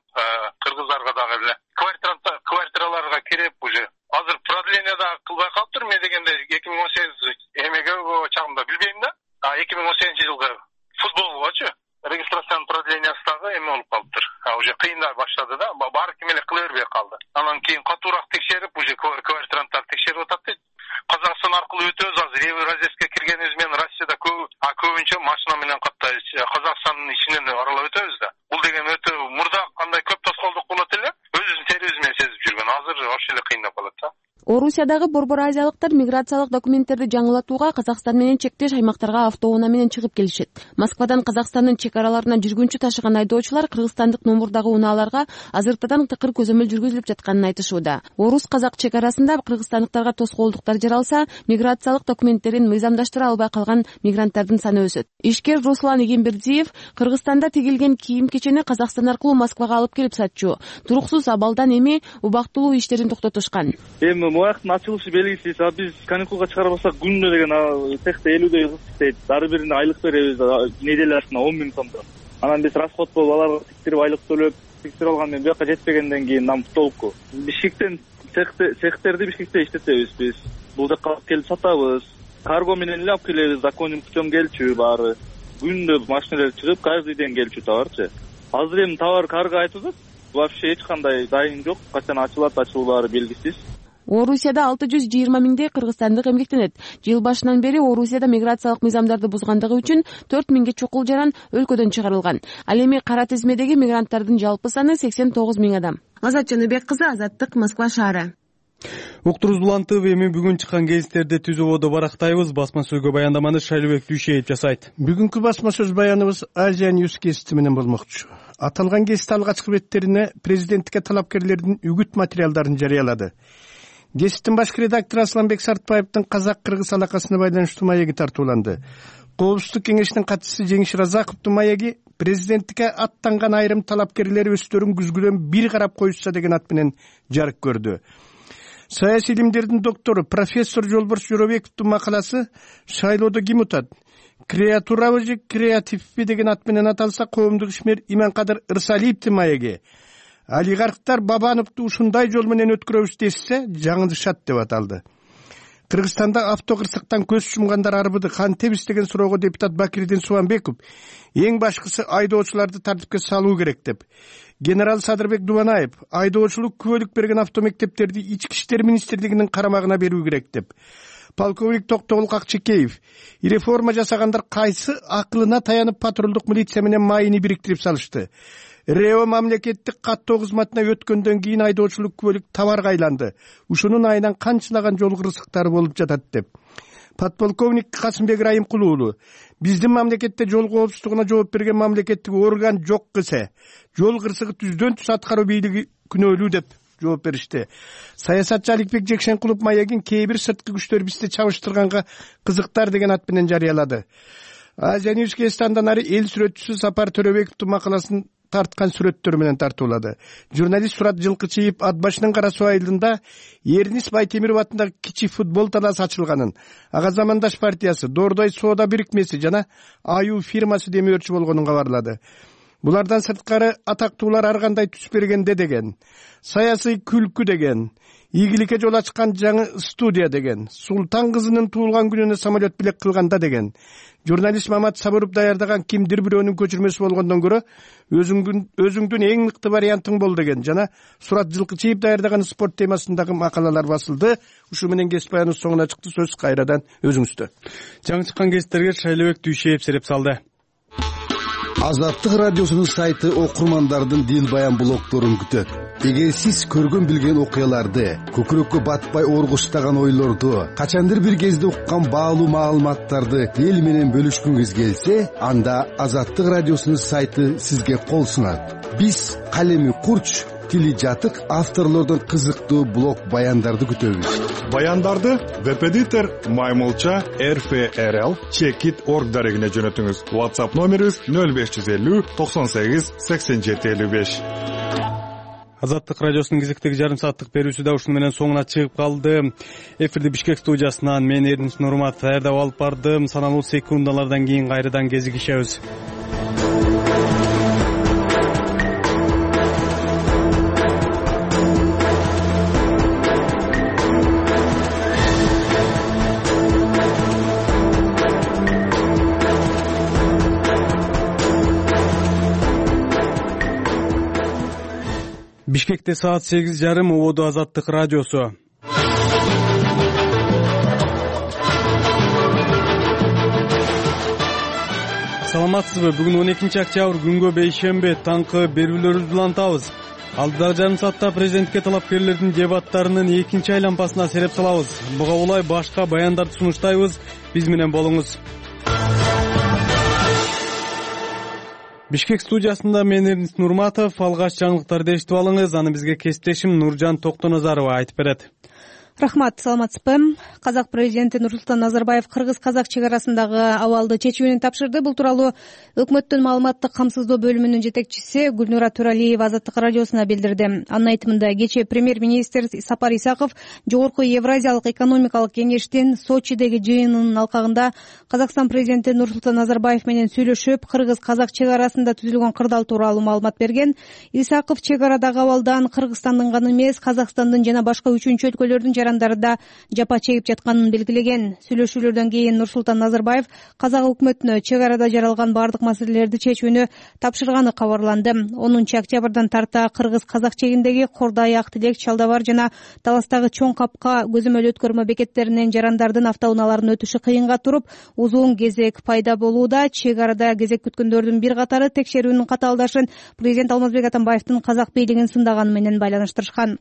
кыргыздарга дагы эле квартираларга кирип уже азыр продление дагы кылбай калыптыр. Мен дегенде 2018 эмеге чагында билбейм да. 2018-жылгы футболгочу регистрациянын продлениясы дагы эме болуп калыптыр. Уже кыйындай баштады да. Баары ким эле кыла бербей калды. Анан кийин катуураак текшерип, уже квартиранттар текшерип атат дейт. Казакстан аркылуу өтөбүз. Азыр Евразеске киргенибиз менен Россияда көбүнчө машина менен каттайбыз. Казакстандын ичинен аралап өтөбүз да. Бул деген өтө мурда кандай көп тоскоолдук болот эле, өзүбүздүн терибиз менен сезип жүргөн. Азыр ошол эле кыйындап калат да. Орусиядагы Борбор Азиялыктар миграциялык документтерди жаңылатууга Казакстан менен чектеш аймактарга автоунаа менен чыгып келишет. Москвадан Казакстандын чек араларына жүргүнчү ташыган айдоочулар кыргызстандык номурдагы унааларга азыртадан тыкыр көзөмөл жүргүзүлүп жатканын айтышууда. Орус-казак чек арасында кыргызстандыктарга тоскоолдуктар жаралса, миграциялык документтерин мыйзамдаштыра албай калган мигранттардын саны өсөт. Ишкер Руслан Эгембердиев Кыргызстанда тигилген кийим-кечени Казакстан аркылуу Москвага алып келип сатчу. Туруксуз абалдан эми убактылуу иштерин токтотушкан. Муяктын ачылышы белгисиз. Биз каникулга чыгарбасак күнүнө деген цехте 50 кыз иштейт. Ар бирине айлык беребиз неделе башына 10 000 сомдон. Анан биз расход болуп аларга тиктирип айлык төлөп, тиктирип алган менен буяка жетпегенден кийин нам толуку. Бишкектен цехтерди Бишкекте иштетебиз биз. Бул жака алып келип сатабыз. Карго менен эле алып келебиз. Законный путем келчү баары. Күндө машиналар чыгып, каждый день келчү товарчы. Азыр эми товар карго айтып атат. Вообще эч кандай дайын жок. Качан ачылат, ачылбаары белгисиз. Орусияда 620 миңдей кыргызстандык эмгектенет. Жыл башынан бери Орусияда миграциялык мыйзамдарды бузгандыгы үчүн 4 миңге чукул жаран өлкөдөн чыгарылган. Ал эми кара тизмедеги мигранттардын жалпы саны 89 миң адам. Азат Жаныбек кызы, Азаттык, Москва шаары. Уктуруубузду улантып, эми бүгүн чыккан гезиттерди түз ободо барактайбыз. Басма сөзгө баяндаманы Шайлообек Дүйшеев жасайт. Бүгүнкү басма сөз баяныбыз Азия News гезити менен болмокчу. Аталган гезит алгачкы беттерине президенттикке талапкерлердин үгүт материалдарын жарыялады. Гезиттин башкы редактору Асланбек Сартбаевдин казак-кыргыз алакасына байланыштуу маеги тартууланды. Коопсуздук кеңешинин катчысы Жеңиш Разаковдун маеги президенттикке аттанган айрым талапкерлер өздөрүн күзгүдөн бир карап коюшса деген ат менен жарык көрдү. Саясий илимдердин доктору профессор Жолборс Жоробековдун макаласы «Шайлоодо ким утат? Креатурабы же креативби?» деген ат менен аталса, коомдук ишмер Иманкадыр Ырсалиевдин маеги «Олигархтар Бабановду ушундай жол менен өткөрөбүз десе, жаңылышат» деп аталды. Кыргызстанда автокырсыктан көз жумгандар арбыды кантебиз деген суроого депутат Бакирдин Субанбеков эң башкысы айдоочуларды тартипке салуу керек деп. Генерал Садырбек Дубанаев айдоочулук күбөлүк берген автомектептерди Ички иштер министрлигинин карамагына берүү керек деп. Полковник Токтогул Какчекеев реформа жасагандар кайсы акылына таянып патрулдук милиция менен майыны бириктирип салышты. РЭО мамлекеттик каттоо кызматына өткөндөн кийин айдоочулук күбөлүк товарга айланды. Ушунун айынан канчалаган жол кырсыктары болуп жатат деп. Подполковник Касымбек Райымкулуу уулу биздин мамлекетте жол коопсуздугуна жооп берген мамлекеттик орган жок кесе, жол кырсыгы түздөн түз аткаруу бийлиги күнөөлүү деп жооп беришти. Саясатчы Аликбек Жекшенкулов маегин кээ бир сырткы күчтөр бизди чабыштырганга кызыктар деген ат менен жарыялады. Азия News гезитинен ары эл сүрөтчүсү Сапар Төрөбековдун макаласын тарткан сүрөттөр менен тартуулады. Журналист Сурат Жылкычиев ат башынын Кара Суу айылында Эрнис Байтемиров атындагы кичи футбол талаасы ачылганын, ага Замандаш партиясы, Дордой соода бирикмеси жана Аю фирмасы демөөрчү болгонун кабарлады. Булардан сырткары атактуулар ар кандай түс бергенде деген, саясий күлкү деген, ийгиликке жол ачкан жаңы студия деген, Султан кызынын туулган күнүнө самолет билет кылганда деген, журналист Мамат Сабыров даярдаган кимдир бирөөнүн көчүрмөсү болгондон көрө өзүңдүн эң мыкты вариантың бол деген жана Сурат Жылкычиев даярдаган спорт темасындагы макалалар басылды. Ушу менен кесип баяныбыз соңуна чыкты. Сөз кайрадан өзүңүздө. Жаңы чыккан кесиптерге Шайлообек Дүйшеев сереп салды. Азаттык радиосунун сайты окурмандардын дил баян блогдорун күтөт. Эгер сиз көргөн билген окуяларды, көкүрөккө батпай оргуштаган ойлорду, качандыр бир кезде уккан баалуу маалыматтарды эл менен бөлүшкүңүз келсе, анда Азаттык радиосунун сайты сизге кол сунат. Биз калеми курч, тили жатык авторлордон кызыктуу блог баяндарды күтөбүз. Баяндарды Веб-эдитор Маймылча rfrl@org дарегине жөнөтүңүз. WhatsApp номерибиз 0550 98 87 55. Азаттык радиосунун кезектеги жарым сааттык берүүсү да ушуну менен соңуна чыгып калды. Эфирди Бишкек студиясынан мен Эрдинч Нурматов даярдап алып бардым. Саналуу секундалардан кийин кайрадан кезигишебиз. Бишкекте саат 8:30 ободу Азаттык радиосу. Саламатсызбы? Бүгүн 12 октябрь күнгө бейшемби таңкы берүүлөрүбүздү улантабыз. Алдыдагы жарым саатта президентке талапкерлердин дебаттарынын экинчи айланпасына сереп салабыз. Буга улай башка баяндарды сунуштайбыз. Биз менен болуңуз. Бишкек студиясында мен Эрдинч Нурматов. Алгач жаңылыктарды эшитип алыңыз. Аны бизге кесиптешим Нуржан Токтоназарова айтып берет. Рахмат, саламатсызбы? Казак президенти Нурсултан Назарбаев кыргыз-казак чек арасындагы абалды чечүүнү тапшырды. Бул тууралуу өкмөттүн маалыматтык камсыздоо бөлүмүнүн жетекчиси Гүлнура Туралиева Азаттык радиосуна билдирди. Анын айтымында кечээ премьер-министр Сапар Исаков Жогорку Евразиялык экономикалык кеңештин Сочидеги жыйынынын алкагында Казакстан президенти Нурсултан Назарбаев менен сүйлөшүп, кыргыз-казак чек арасында түзүлгөн кырдаал тууралуу маалымат берген. Исаков чек арадагы абалдан Кыргызстандын гана эмес, Казакстандын жана башка үчүнчү өлкөлөрдүн жарандарында жапа чегип жатканын белгилеген. Сүйлөшүүлөрдөн кийин Нурсултан Назарбаев казак өкмөтүнө чек арада жаралган бардык маселелерди чечүүнү тапшырганы кабарланды. 10 октябрдан тарта кыргыз-казак чегиндеги Кордай, Актилек, Чалдабар жана Таластагы Чоң Капка көзөмөл өткөрмө бекеттеринен жарандардын автоунааларын өтүшү кыйынга туруп, узун кезек пайда болууда. Чек арада кезек күткөндөрдүн бир катары текшерүүнүн катаалдашын президент Алмазбек Атамбаевдин казак бийлигин сындаганы менен байланыштырышкан.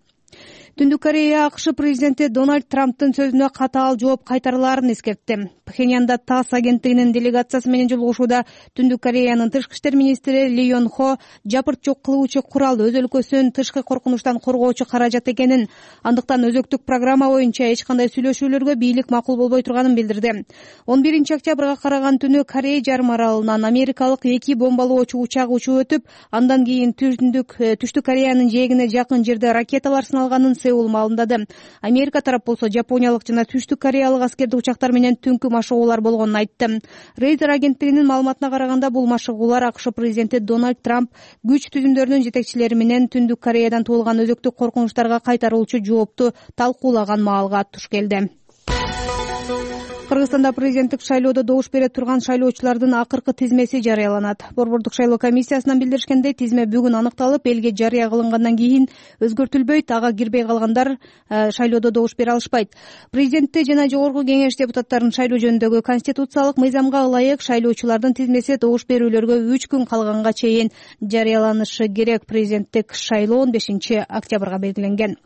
Түндүк Корея АКШ президенти Дональд Трамптын сөзүнө катаал жооп кайтарылаарын эскертти. Пхеньянда ТАСС агенттигинин делегациясы менен жолугушууда Түндүк Кореянын тышкы иштер министри Ли Йон Хо жапырт жок кылуучу курал өз өлкөсүн тышкы коркунучтан коргоочу каражат экенин, андыктан өзөктүк программа боюнча эч кандай сүйлөшүүлөргө бийлик макул болбой турганын билдирди. 11 октябрга караган түнү Корея жарым аралынан америкалык 2 бомбалоочу учак учуп өтүп, андан кийин түштүк Кореянын жээгине жакын жерде ракеталар сыналганын Сеул маалымдады. Америка тарап болсо жапониялык жана түштүк кореялык аскердик учактар менен түнкү машыгуулар болгонун айтты. Рейтер агенттигинин маалыматына караганда бул машыгуулар АКШ президенти Дональд Трамп күч түзүмдөрүнүн жетекчилери менен Түндүк Кореядан туулган өзөктүк коркунучтарга кайтаруучу жоопту талкуулаган маалга туш келди. Кыргызстанда президенттик шайлоодо добуш бере турган шайлоочулардын акыркы тизмеси жарыяланат. Борбордук шайлоо комиссиясынан билдиришкендей, тизме бүгүн аныкталып, элге жарыя кылынгандан кийин өзгөртүлбөйт, ага кирбей калгандар шайлоодо добуш бере алышпайт. Президентти жана жогорку кеңеш депутаттарын шайлоо жөнүндөгү конституциялык мыйзамга ылайык шайлоочулардын тизмеси добуш берүүлөргө 3 күн калганга чейин жарыяланышы керек. Президенттик шайлоо 15 октябрга белгиленген.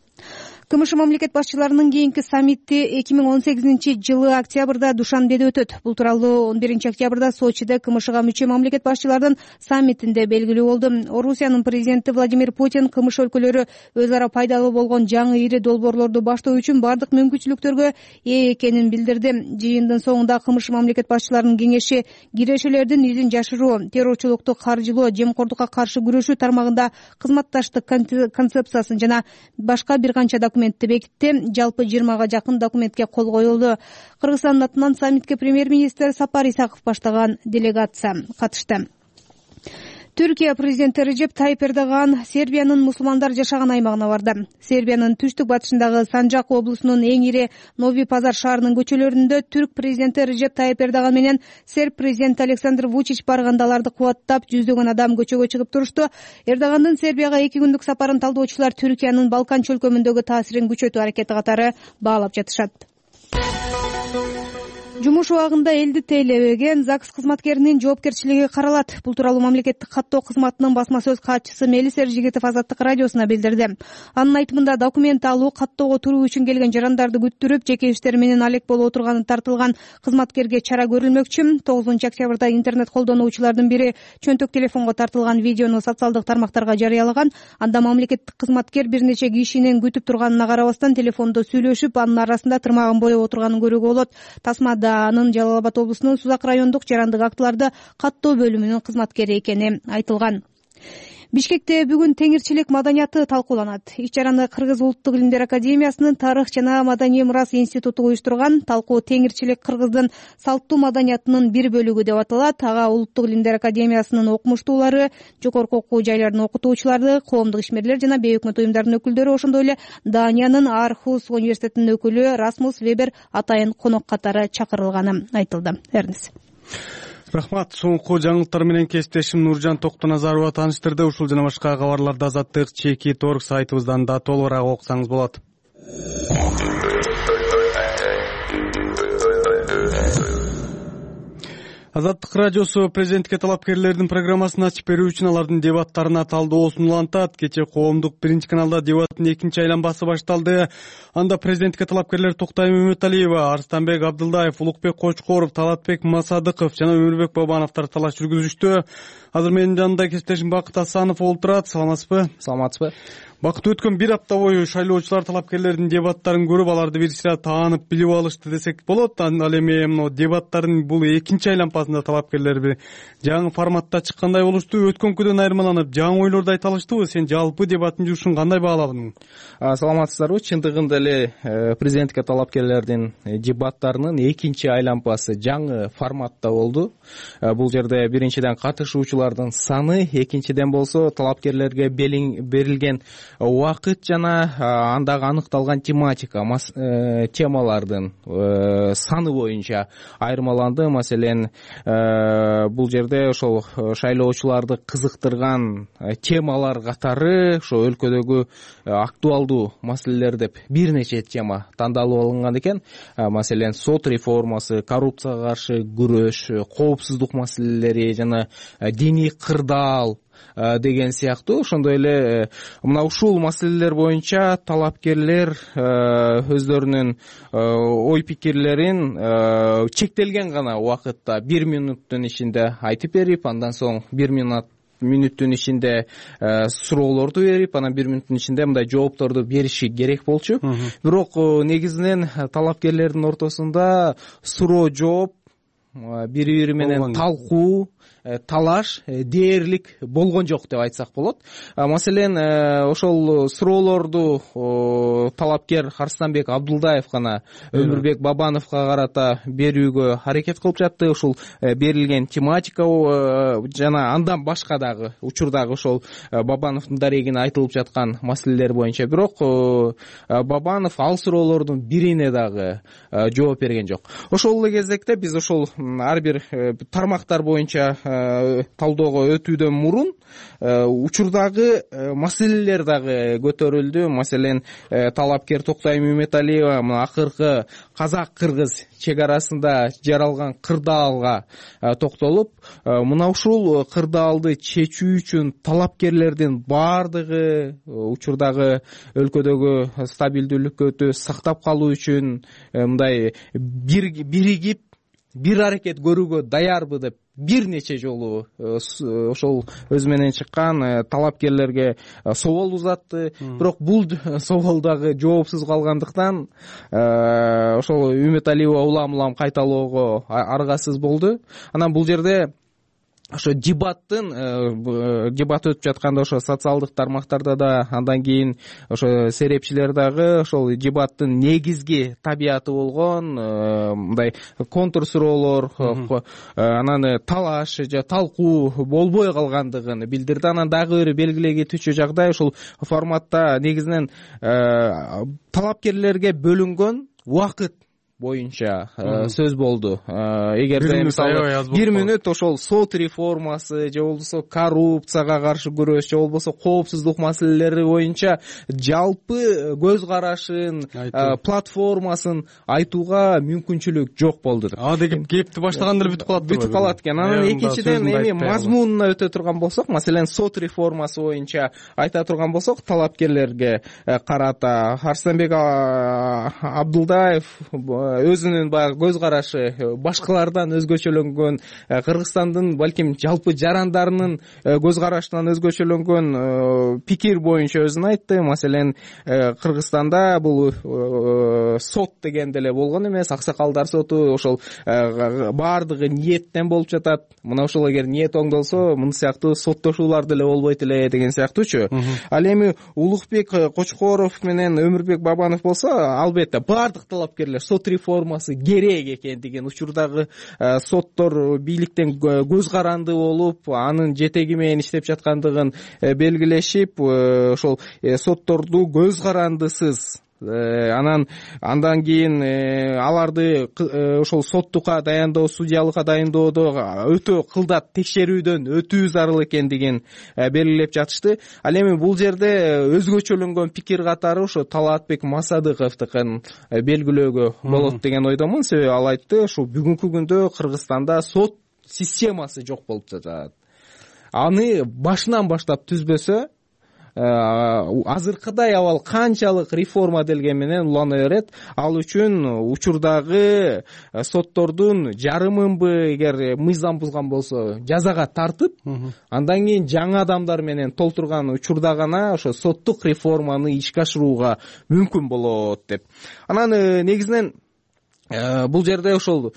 КМШ мамлекет башчыларынын кийинки саммити 2018-жылы октябрда Душанбеде өтөт. Бул тууралуу 11 октябрда Сочиде КМШга мүчө мамлекет башчыларынын саммитинде белгилүү болду. Орусиянын президенти Владимир Путин КМШ өлкөлөрү өз ара пайдалуу болгон жаңы ири долбоорлорду баштоо үчүн бардык мүмкүнчүлүктөргө ээ экенин билдирди. Жыйындын соңунда КМШ мамлекет башчыларынын кеңеши кирешелердин изин жашыруу, террорчулукту каржылоо, жемкордукка каршы күрөшүү тармагында кызматташтык концепциясын жана башка бир канча документти бекитти. Жалпы 20га жакын документке кол коюлду. Кыргызстандын атынан саммитке премьер-министр Сапар Исаков баштаган делегация катышты. Түркия президенти Режеп Тайип Эрдоган Сербиянын мусулмандар жашаган аймагына барды. Сербиянын түштүк батышындагы Санжак облусунун эң ири Нови Пазар шаарынын көчөлөрүндө түрк президенти Режеп Тайип Эрдоган менен серб президенти Александр Вучич барганда аларды кубаттап жүздөгөн адам көчөгө чыгып турушту. Эрдогандын Сербияга 2 күндүк сапарын талдоочулар Түркиянын Балкан чөлкөмүндөгү таасирин күчөтүү аракети катары баалап жатышат. Жумуш убагында элди тейлебеген ЗАГС кызматкеринин жоопкерчилиги каралат. Бул тууралуу мамлекеттик каттоо кызматынын басма сөз катчысы Мелис Эржигитов Азаттык радиосуна билдирди. Анын айтымында документ алуу, каттоого туруу үчүн келген жарандарды күттүрүп, жеке иштери менен алек болуп отурганы тартылган кызматкерге чара көрүлмөкчү. 9 октябрда интернет колдонуучулардын бири чөнтөк телефонго тартылган видеону социалдык тармактарга жарыялаган. Анда мамлекеттик кызматкер бир нече кишинин күтүп турганына карабастан телефондо сүйлөшүп, анын арасында тырмагын боеп отурганын көрүүгө болот. Тасмада анын Жалал Абад облусунун Сузак райондук жарандык актыларды каттоо бөлүмүнүн кызматкери экени айтылган. Бишкекте бүгүн теңирчилик маданияты талкууланат. Иш-чараны Кыргыз Улуттук илимдер академиясынын тарых жана маданий мурас институту уюштурган. Талкуу теңирчилик Кыргыздын салттуу маданиятынын бир бөлүгү деп аталат. Ага Улуттук илимдер академиясынын окумуштуулары, жогорку окуу жайлардын окутуучулары, коомдук ишмерлер жана бейөкмөт уюмдардын өкүлдөрү, ошондой эле Даниянын Архус университетинин өкүлү Расмус Вебер атайын конок катары чакырылганы айтылды. Эрнис. Рахмат. Соңку жаңылыктар менен кесиптешим Нуржан Токтоназарова тааныштырды. Ушул жана башка кабарларды Азаттык Чекит.org сайтыбыздан да толугураак окусаңыз болот. Азаттык радиосу президентке талапкерлердин программасын ачып берүү үчүн алардын дебаттарына талдоосун улантат. Кечээ коомдук биринчи каналда дебаттын экинчи айланбасы башталды. Анда президентке талапкерлер Токтай Мөмөталиева, Арстанбек Абдылдаев, Улукбек Кочкоров, Талатбек Масадыков жана Өмүрбек Бабановдор талаш жүргүзүштү. Азыр менин жанымда кесиптешим Бакыт Асанов олтурат. Саламатсызбы? Саламатсызбы. Бакыт, өткөн бир апта бою шайлоочулар талапкерлердин дебаттарын көрүп, аларды бир сыйра таанып билип алышты десек болот. Ал эми дебаттардын бул экинчи айланпасында талапкерлер бир жаңы форматта чыккандай болушту. Өткөнкүдөн айырмаланып, жаңы ойлорду айта алыштыбы? Сен жалпы дебаттын жумушун кандай баалабың? Саламатсыздарбы? Чындыгында эле президентке талапкерлердин дебаттарынын экинчи айланпасы жаңы форматта болду. Бул жерде биринчиден катышуучулардын саны, экинчиден болсо талапкерлерге берилген убакыт жана андагы аныкталган темалардын саны боюнча айырмаланды. Маселен, бул жерде ошол шайлоочуларды кызыктырган темалар катары ошо өлкөдөгү актуалдуу маселелер деп бир нече тема тандалып алынган экен. Маселен, сот реформасы, коррупцияга каршы күрөш, коопсуздук маселелери жана диний кырдаал деген сыяктуу. Ошондой эле мына ушул маселелер боюнча талапкерлер өздөрүнүн ой пикирлерин чектелген гана убакытта 1 минуттун ичинде айтып берип, андан соң 1 мүнөттүн ичинде суроолорду берип, анан 1 мүнөттүн ичинде мындай жоопторду бериши керек болчу. Бирок негизинен талапкерлердин ортосунда суроо жооп, бири-бири менен талкуу, талаш дээрлик болгон жок деп айтсак болот. Маселен, ошол суроолорду талапкер Арстанбек Абдылдаев гана Өмүрбек Бабановго карата берүүгө аракет кылып жатты. Ушул берилген тематика жана андан башка дагы учурдагы ошол Бабановдун дарегине айтылып жаткан маселелер боюнча. Бирок Бабанов ал суроолордун бирине дагы жооп берген жок. Ошол эле кезекте биз ошол ар бир тармактар боюнча талоого өтүүдөн мурун учурдагы маселелер дагы көтөрүлдү. Маселен, талапкер Токтай Мөмөталиева мына акыркы казак-кыргыз чек арасында жаралган кырдаалга токтолуп, мына ушул кырдаалды чечүү үчүн талапкерлердин баардыгы учурдагы өлкөдөгү стабилдүүлүккө сактап калуу үчүн мындай биригип бир аракет көрүүгө даярбы деп бир нече жолу ошол өзү менен чыккан талапкерлерге собол узатты. Бирок бул собол дагы жоопсуз калгандыктан ошол Үмөталиева улам-улам кайталоого аргасыз болду. Анан бул жерде ошо дебат өтүп жатканда ошо социалдык тармактарда да, андан кийин ошо серепчилер дагы ошол дебаттын негизги табияты болгон мындай контур суроолор, анан талаш же талкуу болбой калгандыгын билдирди. Анан дагы бир белгилей кетүүчү жагдай ушул форматта негизинен талапкерлерге бөлүнгөн убакыт боюнча сөз болду. Эгерде мисалы 1 мүнөт ошол сот реформасы же болбосо коррупцияга каршы күрөш же болбосо коопсуздук маселелери боюнча жалпы көз карашын, платформасын айтууга мүмкүнчүлүк жок болду. Деген кепти баштагандыр бүтүп калат экен. Анан экинчиден эми мазмунуна өтө турган болсок, маселен сот реформасы боюнча айта турган болсок, талапкерлерге карата Арсенбек Абдулдаев өзүнүн баягы көз карашы башкалардан өзгөчөлөнгөн, Кыргызстандын балким жалпы жарандарынын көз карашынан өзгөчөлөнгөн пикир боюнча өзүн айтты. Маселен, Кыргызстанда бул сот дегенде эле болгон эмес, аксакалдар соту ошол баардыгы ниеттен болуп жатат. Мына ошол эгер ниет оңдолсо, мына сыяктуу соттошуулар деле болбойт эле деген сыяктуучу. Ал эми Улукбек Кочкоров менен Өмүрбек Бабанов болсо, албетте баардык талапкерлер сот реформасы керек экендигин, учурдагы соттор бийликтен көз каранды болуп, анын жетеги менен иштеп жаткандыгын белгилешип, ошол сотторду көз карандысыз, андан кийин аларды ошол соттукка дайындоо, судьялыкка дайындоодо өтө кылдат текшерүүдөн өтүү зарыл экендигин белгилеп жатышты. Ал эми бул жерде өзгөчөлөнгөн пикир катары ошо Талаатбек Масадыковдукун белгилөөгө болот деген ойдомун. Себеби ал айтты, ошо бүгүнкү күндө Кыргызстанда сот системасы жок болуп жатат. Аны башынан баштап түзбөсө, азыркыдай абал канчалык реформа делген менен улана берет. Ал үчүн учурдагы соттордун жарымынбы эгер мыйзам бузган болсо жазага тартып, андан кийин жаңы адамдар менен толтурган учурда гана ошо соттук реформаны ишке ашырууга мүмкүн болот деп. Анан негизинен бул жерде ошол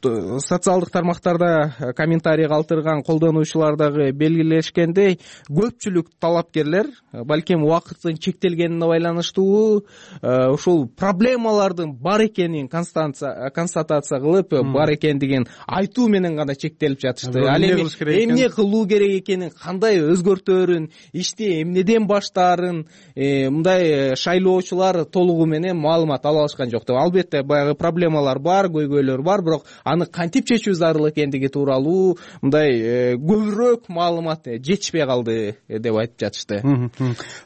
социалдык тармактарда комментарий калтырган колдонуучулар дагы белгилешкендей, көпчүлүк талапкерлер балким убакыттын чектелгенине байланыштуу ушул проблемалардын бар экенин констатация кылып, бар экендигин айтуу менен гана чектелип жатышты. Ал эми эмне кылуу керек экенин, кандай өзгөртөөрүн, ишти эмнеден баштаарын мындай шайлоочулар толугу менен маалымат ала алышкан жок деп. Албетте баягы проблемалар бар, көйгөйлөр бар, бирок аны кантип чечүү зарыл экендиги тууралуу мындай көбүрөөк маалымат жетишпей калды деп айтып жатышты.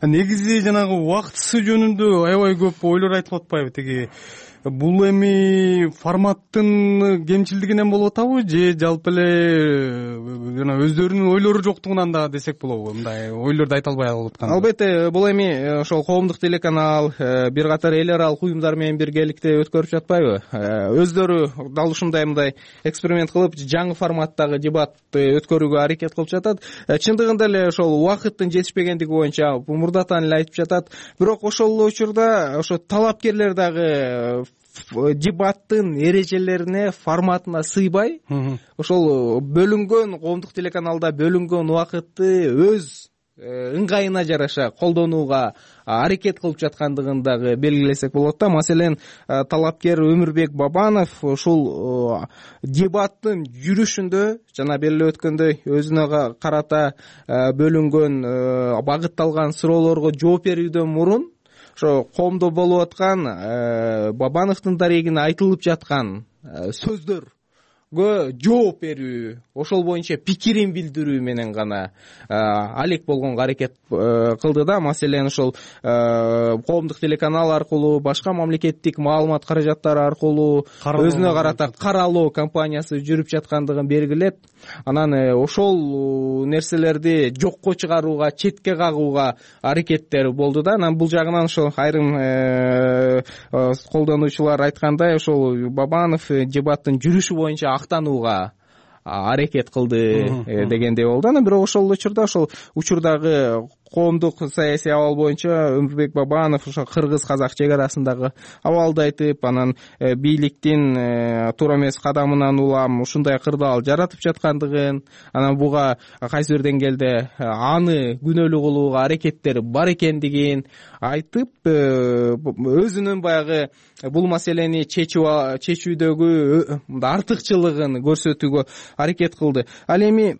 Негизи жанагы убактысы жөнүндө аябай көп ойлор айтылып атпайбы? Тиги бул эми форматтын кемчилдигинен болуп атабы же жалпы эле жана өздөрүнүн ойлору жоктугунан да десек болобу? Мындай ойлорду айта албай калып аткан. Албетте, бул эми ошол коомдук телеканал, бир катар эл аралык уюмдар менен биргеликте өткөрүп жатпайбы? Өздөрү дал ушундай мындай эксперимент кылып, жаңы форматтагы дебатты өткөрүүгө аракет кылып жатат. Чындыгында эле ошол убакыттын жетишпегендиги боюнча мурдатан эле айтып жатат. Бирок ошол учурда ошо талапкерлер дагы дебаттын эрежелерине, форматына сыйбай, ошол бөлүнгөн коомдук телеканалда бөлүнгөн убакытты өз ыңгайына жараша колдонууга аракет кылып жаткандыгын дагы белгилесек болот да. Маселен, талапкер Өмүрбек Бабанов ушул дебаттын жүрүшүндө жана белгилеп өткөндөй өзүнө карата бөлүнгөн багытталган суроолорго жооп берүүдөн мурун ошо коомдо болуп аткан Бабановдун дарегине айтылып жаткан сөздөргө жооп берүү, ошол боюнча пикирин билдирүү менен гана алек болгонго аракет кылды да. Маселен, ошол коомдук телеканал аркылуу, башка мамлекеттик маалымат каражаттары аркылуу өзүнө карата каралоо кампаниясы жүрүп жаткандыгын белгилеп, анан ошол нерселерди жокко чыгарууга, четке кагууга аракеттер болду да. Анан бул жагынан ошол айрым колдонуучулар айткандай, ошол Бабанов дебаттын жүрүшү боюнча актанууга аракет кылды дегендей болду. Анан бирок ошол учурда ошол учурдагы коомдук саясий абал боюнча Өмүрбек Бабанов ошо кыргыз-казак чек арасындагы абалды айтып, анан бийликтин туура эмес кадамынан улам ушундай кырдаал жаратып жаткандыгын, анан буга кайсы бир деңгээлде аны күнөөлүү кылууга аракеттери бар экендигин айтып, өзүнүн баягы бул маселени чечүүдөгү артыкчылыгын көрсөтүүгө аракет кылды. Ал эми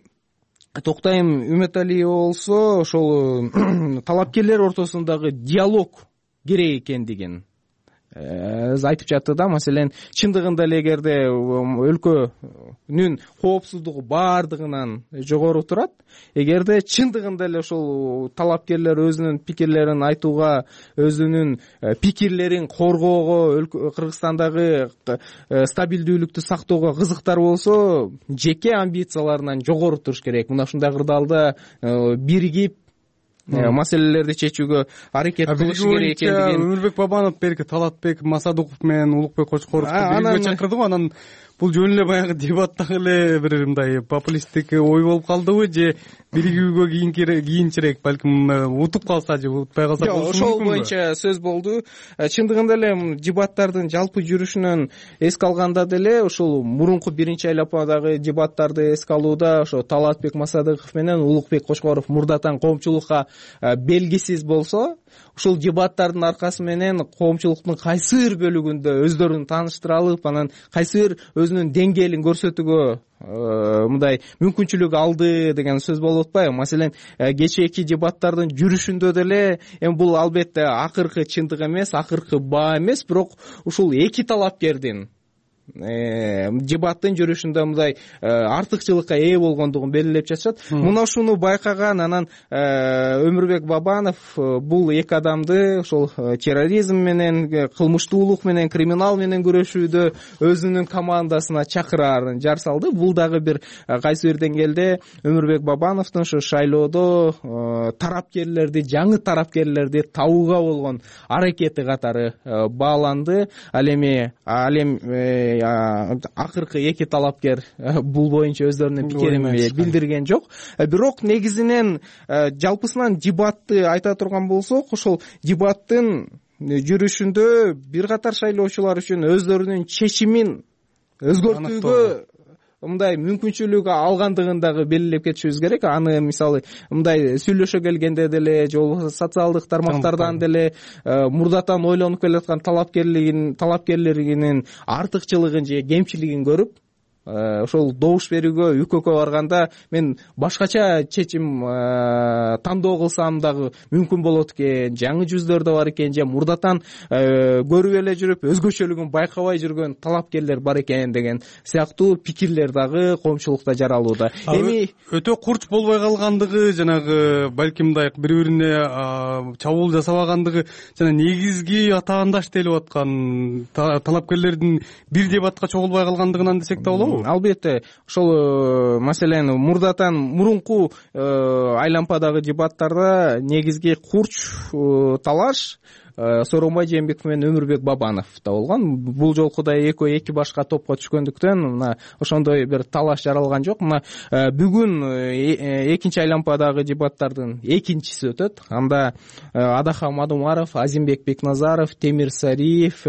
Токтайым Үмөталиева болсо ошол талапкерлер ортосундагы диалог керек экендигин айтып жатты да. Маселен, чындыгында эле эгерде өлкөнүн коопсуздугу баардыгынан жогору турат, эгерде чындыгында эле ошол талапкерлер өзүнүн пикирлерин айтууга, өзүнүн пикирлерин коргоого, Кыргызстандагы стабилдүүлүктү сактоого кызыктар болсо, жеке амбицияларынан жогору туруш керек. Мына ушундай кырдаалда биригип маселелерди чечүүгө аракет кылыш керек экендигин. Өмүрбек Бабанов берки Талатбек Масадуков менен Улукбек Кочкоровду бирге чакырдыбы, анан бул жөн эле баягы дебаттагы эле бир мындай популисттик ой болуп калдыбы, же биригүүгө кийинчерээк, балким утуп калса же утпай калса болушу мүмкүнбү? Ошол боюнча сөз болду. Чындыгында эле дебаттардын жалпы жүрүшүнөн эске алганда деле ушул мурунку биринчи айлападагы дебаттарды эске алууда ошо Талатбек Масадыков менен Улукбек Кочкоров мурдатан коомчулукка белгисиз болсо, ушул дебаттардын аркасы менен коомчулуктун кайсы бир бөлүгүндө өздөрүн тааныштыра алып, анан кайсы бир өзүнүн деңгээлин көрсөтүүгө мындай мүмкүнчүлүк алды деген сөз болуп атпайбы? Маселен, кечээки дебаттардын жүрүшүндө деле эми бул албетте акыркы чындык эмес, акыркы баа эмес, бирок ушул эки талапкердин дебаттын жүрүшүндө мындай артыкчылыкка ээ болгондугун белгилеп жатышат. Мына ушуну байкаган анан Өмүрбек Бабанов бул эки адамды ошол терроризм менен, кылмыштуулук менен, криминал менен күрөшүүдө өзүнүн командасына чакыраарын жар салды. Бул дагы бир кайсы бир деңгээлде Өмүрбек Бабановдун ошо шайлоодо тарапкерлерди, жаңы тарапкерлерди табууга болгон аракети катары бааланды. Ал эми акыркы эки талапкер бул боюнча өздөрүнүн пикирин билдирген жок. Бирок негизинен жалпысынан дебатты айта турган болсок, ошол дебаттын жүрүшүндө бир катар шайлоочулар үчүн өздөрүнүн чечимин өзгөртүүгө мындай мүмкүнчүлүк алгандыгын дагы белгилеп кетишибиз керек. Аны мисалы мындай сүйлөшө келгенде деле, же болбосо социалдык тармактардан деле мурдатан ойлонуп келаткан талапкерлеринин артыкчылыгын же кемчилигин көрүп, ошол добуш берүүгө ÜККө барганда мен башкача чечим тандоо кылсам дагы мүмкүн болот экен, жаңы жүздөр да бар экен, же мурдатан көрүп эле жүрүп өзгөчөлүгүн байкабай жүргөн талапкерлер бар экен деген сыяктуу пикирлер дагы коомчулукта жаралууда. Эми өтө курч болбой калгандыгы, жанагы балким мындай бири-бирине чабуул жасабагандыгы жана негизги атаандаш делип аткан талапкерлердин бир дебатка чогулбай калгандыгынан десек да болобу? Албетте, ошол маселен мурунку айлампадагы дебаттарда негизги курч талаш Сооронбай Жээнбеков менен Өмүрбек Бабановдо болгон. Бул жолку да экөө эки башка топко түшкөндүктөн мына ошондой бир талаш жаралган жок. Мына бүгүн экинчи айлампадагы дебаттардын экинчиси өтөт. Анда Адахан Мадумаров, Азимбек Бекназаров, Темир Сариев,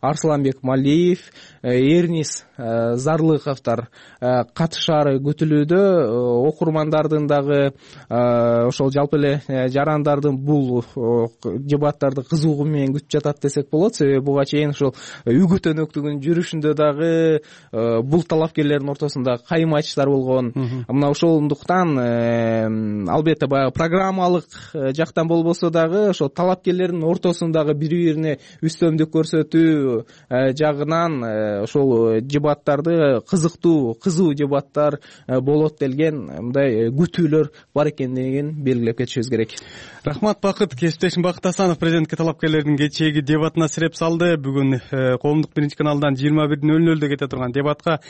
Арсланбек Малиев, Эрнис Зарлыковдор катышаары күтүлүүдө. Окурмандардын дагы ошол жалпы эле жарандардын бул дебаттарды кызугу менен күтүп жатат десек болот. Себеби буга чейин ошол үгүт-өнөктүгүн жүрүшүндө дагы бул талапкерлердин ортосунда кайым айтыштар болгон. Мына ошондуктан албетте баягы программалык жактан болбосо дагы ошол талапкерлердин ортосундагы бири-бирине үстөмдүк көрсөтүү жагынан ошол дебаттарды кызыктуу, кызуу дебаттар болот делген мындай күтүүлөр бар экендигин белгилеп кетишибиз керек. Рахмат, Бакыт. Кесиптешим Бакыт Асанов президентке талапкерлердин кечээги дебатына сиреп салды. Бүгүн Коомдук биринчи каналдан 21:00 кете турган дебатка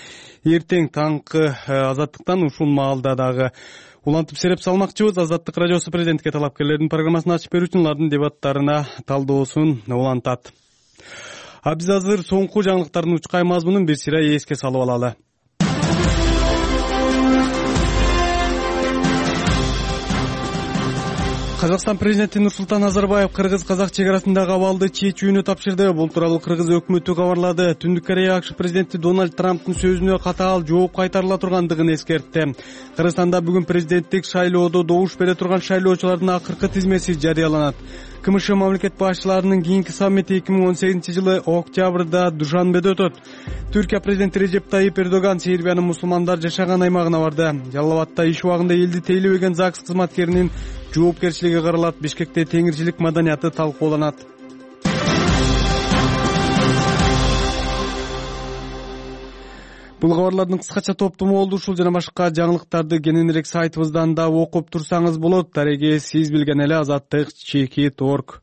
эртең таңкы Азаттыктан ушул маалда дагы улантып сиреп салмакчыбыз. Азаттык радиосу президентке талапкерлердин программасын ачып берүү үчүн алардын дебаттарына талдоосун улантат. Биз азыр соңку жаңылыктардын учкай мазмунун бир сыйра эске салып алалы. Казакстан президенти Нурсултан Назарбаев кыргыз-казак чек арасындагы абалды чечүүнү тапшырды. Бул тууралуу кыргыз өкмөтү кабарлады. Түндүк Корея АКШ президенти Дональд Трамптын сөзүнө катаал жооп кайтарыла тургандыгын эскертти. Кыргызстанда бүгүн президенттик шайлоодо добуш бере турган шайлоочулардын акыркы тизмеси жарыяланат. КМШ мамлекет башчыларынын кийинки саммити 2018-жылы октябрда Душанбеде өтөт. Түркия президенти Режеп Тайип Эрдоган Сербиянын мусулмандар жашаган аймагына барды. Жалал Абадта иш убагында элди тейлебеген ЗАГС кызматкеринин жоопкерчилиги каралат. Бишкекте теңирчилик маданияты талкууланат. Бул кабарлардын кыскача топтому болду. Ушул жана башка жаңылыктарды кененирээк сайтыбыздан да окуп турсаңыз болот. Дареги сиз билген эле azattik.org.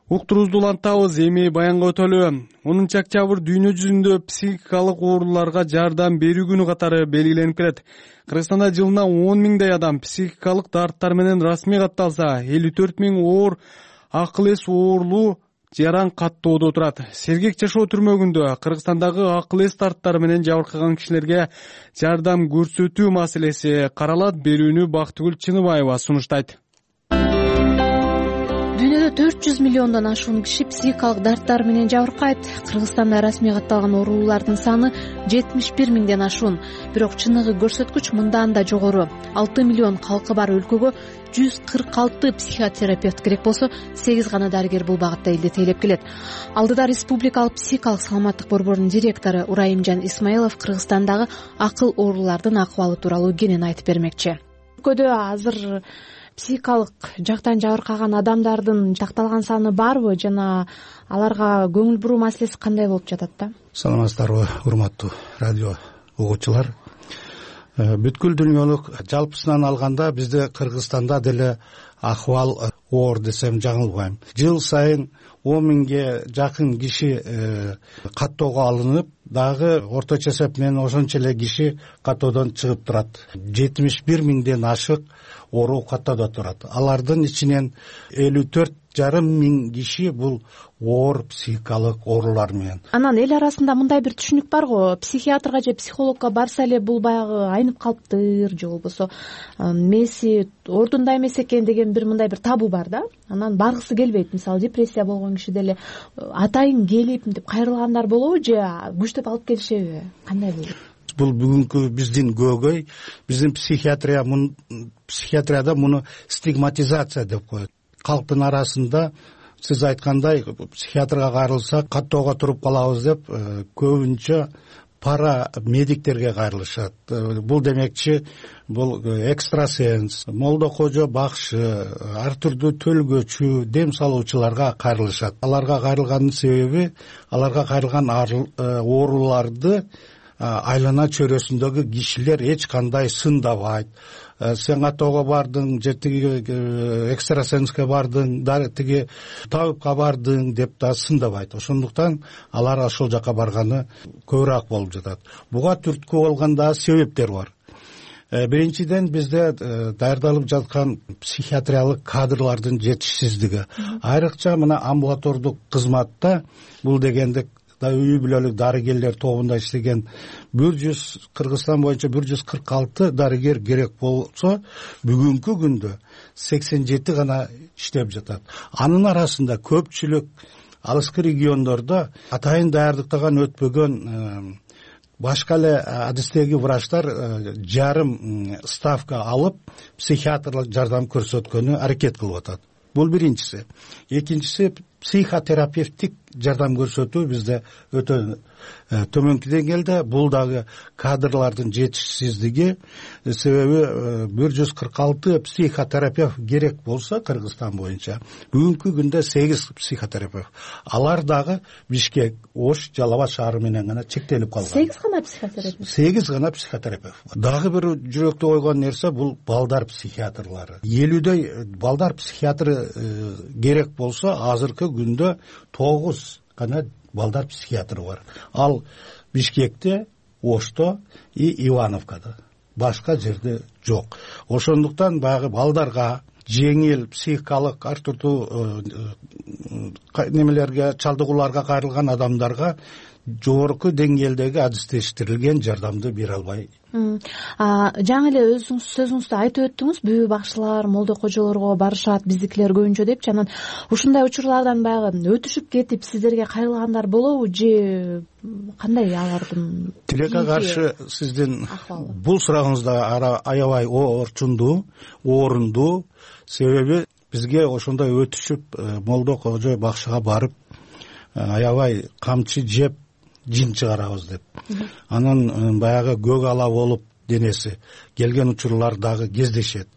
Уктуруубузду улантабыз. Эми баянга өтөлү. 10 октябрь дүйнө жүзүндө психикалык ооруларга жардам берүү күнү катары белгиленип келет. Кыргызстанда жылына 10 миңдей адам психикалык дарттар менен расмий катталса, 54 миң оор акыл эс оорулуу жаран каттоодо турат. Сергек жашоо түрмөгүндө Кыргызстандагы акыл эс дарттары менен жабыркаган кишилерге жардам көрсөтүү маселеси каралат. Берүүнү Бактыгүл Чыныбаева сунуштайт. Дүйнөдө 400 миллиондон ашуун киши психикалык дарттар менен жабыркайт. Кыргызстанда расмий катталган оорулардын саны 71 миңден ашуун. Бирок чыныгы көрсөткүч мындан да жогору. 6 миллион калкы бар өлкөгө 146 психотерапевт керек болсо, 8 гана дарыгер бул багытта элди тейлеп келет. Алдыда Республикалык психикалык саламаттык борборунун директору Урайымжан Исмаилов Кыргызстандагы акыл оорулардын акыбалы тууралуу кенен айтып бермекчи. Өлкөдө азыр психикалык жактан жабыркаган адамдардын такталган саны барбы жана аларга көңүл буруу маселеси кандай болуп жатат да? Саламатсыздарбы, урматтуу радио угуучулар. Бүткүл дүйнөлүк жалпысынан алганда бизде Кыргызстанда деле акыбал оор десем жаңылбайм. Жыл сайын 10 миңге жакын киши каттоого алынып, дагы орточо эсеп менен ошончо эле киши каттоодон чыгып турат. 71 миңден ашык оору каттоодо турат. Алардын ичинен 54,5 миң киши бул оор психикалык оорулар менен. Анан эл арасында мындай бир түшүнүк бар го, психиатрга же психологко барса эле бул баягы айнып калыптыр, же болбосо меси ордунда эмес экен деген бир мындай бир табу бар да. Анан баргысы келбейт. Мисалы депрессия болгон киши деле атайын келип мынтип кайрылгандар болобу же күчтөп алып келишеби? Кандай болот? Бул бүгүнкү биздин көөгөй, биздин психиатрияда муну стигматизация деп коет. Калктын арасында сиз айткандай психиатрга кайрылса каттоого туруп калабыз деп көбүнчө пара медиктерге кайрылышат. Бул демекчи бул экстрасенс, молдо кожо бакшы, ар түрдүү төлгөчү, дем салуучуларга кайрылышат. Аларга кайрылганын себеби аларга кайрылган ооруларды айлана чөйрөсүндөгү кишилер эч кандай сындабайт. Сен каттоого бардың, же тиги экстрасенске бардың, тиги табипка бардың деп да сындабайт. Ошондуктан алар ошол жака барганы көбүрөөк болуп жатат. Буга түрткү болгон да себептер бар. Биринчиден бизде даярдалып жаткан психиатриялык кадрлардын жетишсиздиги. Айрыкча мына амбулатордук кызматта бул дегенде үй бүлөлүк дарыгерлер тобунда иштеген Кыргызстан боюнча 146 дарыгер керек болсо, бүгүнкү күндө 87 гана иштеп жатат. Анын арасында көпчүлүк алыскы региондордо атайын даярдыктан өтпөгөн башка эле адистеги врачтар жарым ставка алып психиатрлык жардам көрсөткөнү аракет кылып атат. Бул биринчиси. Экинчиси психотерапевтик жардам көрсөтүү бизде өтө төмөнкү деңгээлде. Бул дагы кадрлардын жетишсиздиги, себеби 146 психотерапевт керек болсо Кыргызстан боюнча бүгүнкү күндө 8 психотерапевт. Алар дагы Бишкек, Ош, Жалал Абад шаары менен гана чектелип калган. 8 гана психотерапевт. 8 гана психотерапевт. Дагы бир жүрөктө койгон нерсе бул балдар психиатрлары. 50дөй балдар психиатры керек болсо, азыркы күндө 9 гана балдар психиатры бар. Ал Бишкекте, Ошто и Ивановкада. Башка жерде жок. Ошондуктан баягы балдарга жеңил психикалык ар түрдүү немелерге, чалдыгууларга кайрылган адамдарга жогорку деңгээлдеги адистештирилген жардамды бере албай. Жаңы эле өзүңүз сөзүңүздө айтып өттүңүз, бүбү бакчылар молдо кожолорго барышат, биздикилер көбүнчө депчи. Анан ушундай учурлардан баягы өтүшүп кетип сиздерге кайрылгандар болобу же кандай алардын? Тилекке каршы сиздин бул сурагыңыз да аябай орчундуу, орунду. Себеби бизге ошондой өтүшүп молдо кожо бакчыга барып аябай камчы жеп жин чыгарабыз деп. Анан баягы көк ала болуп денеси келген учурлар дагы кездешет.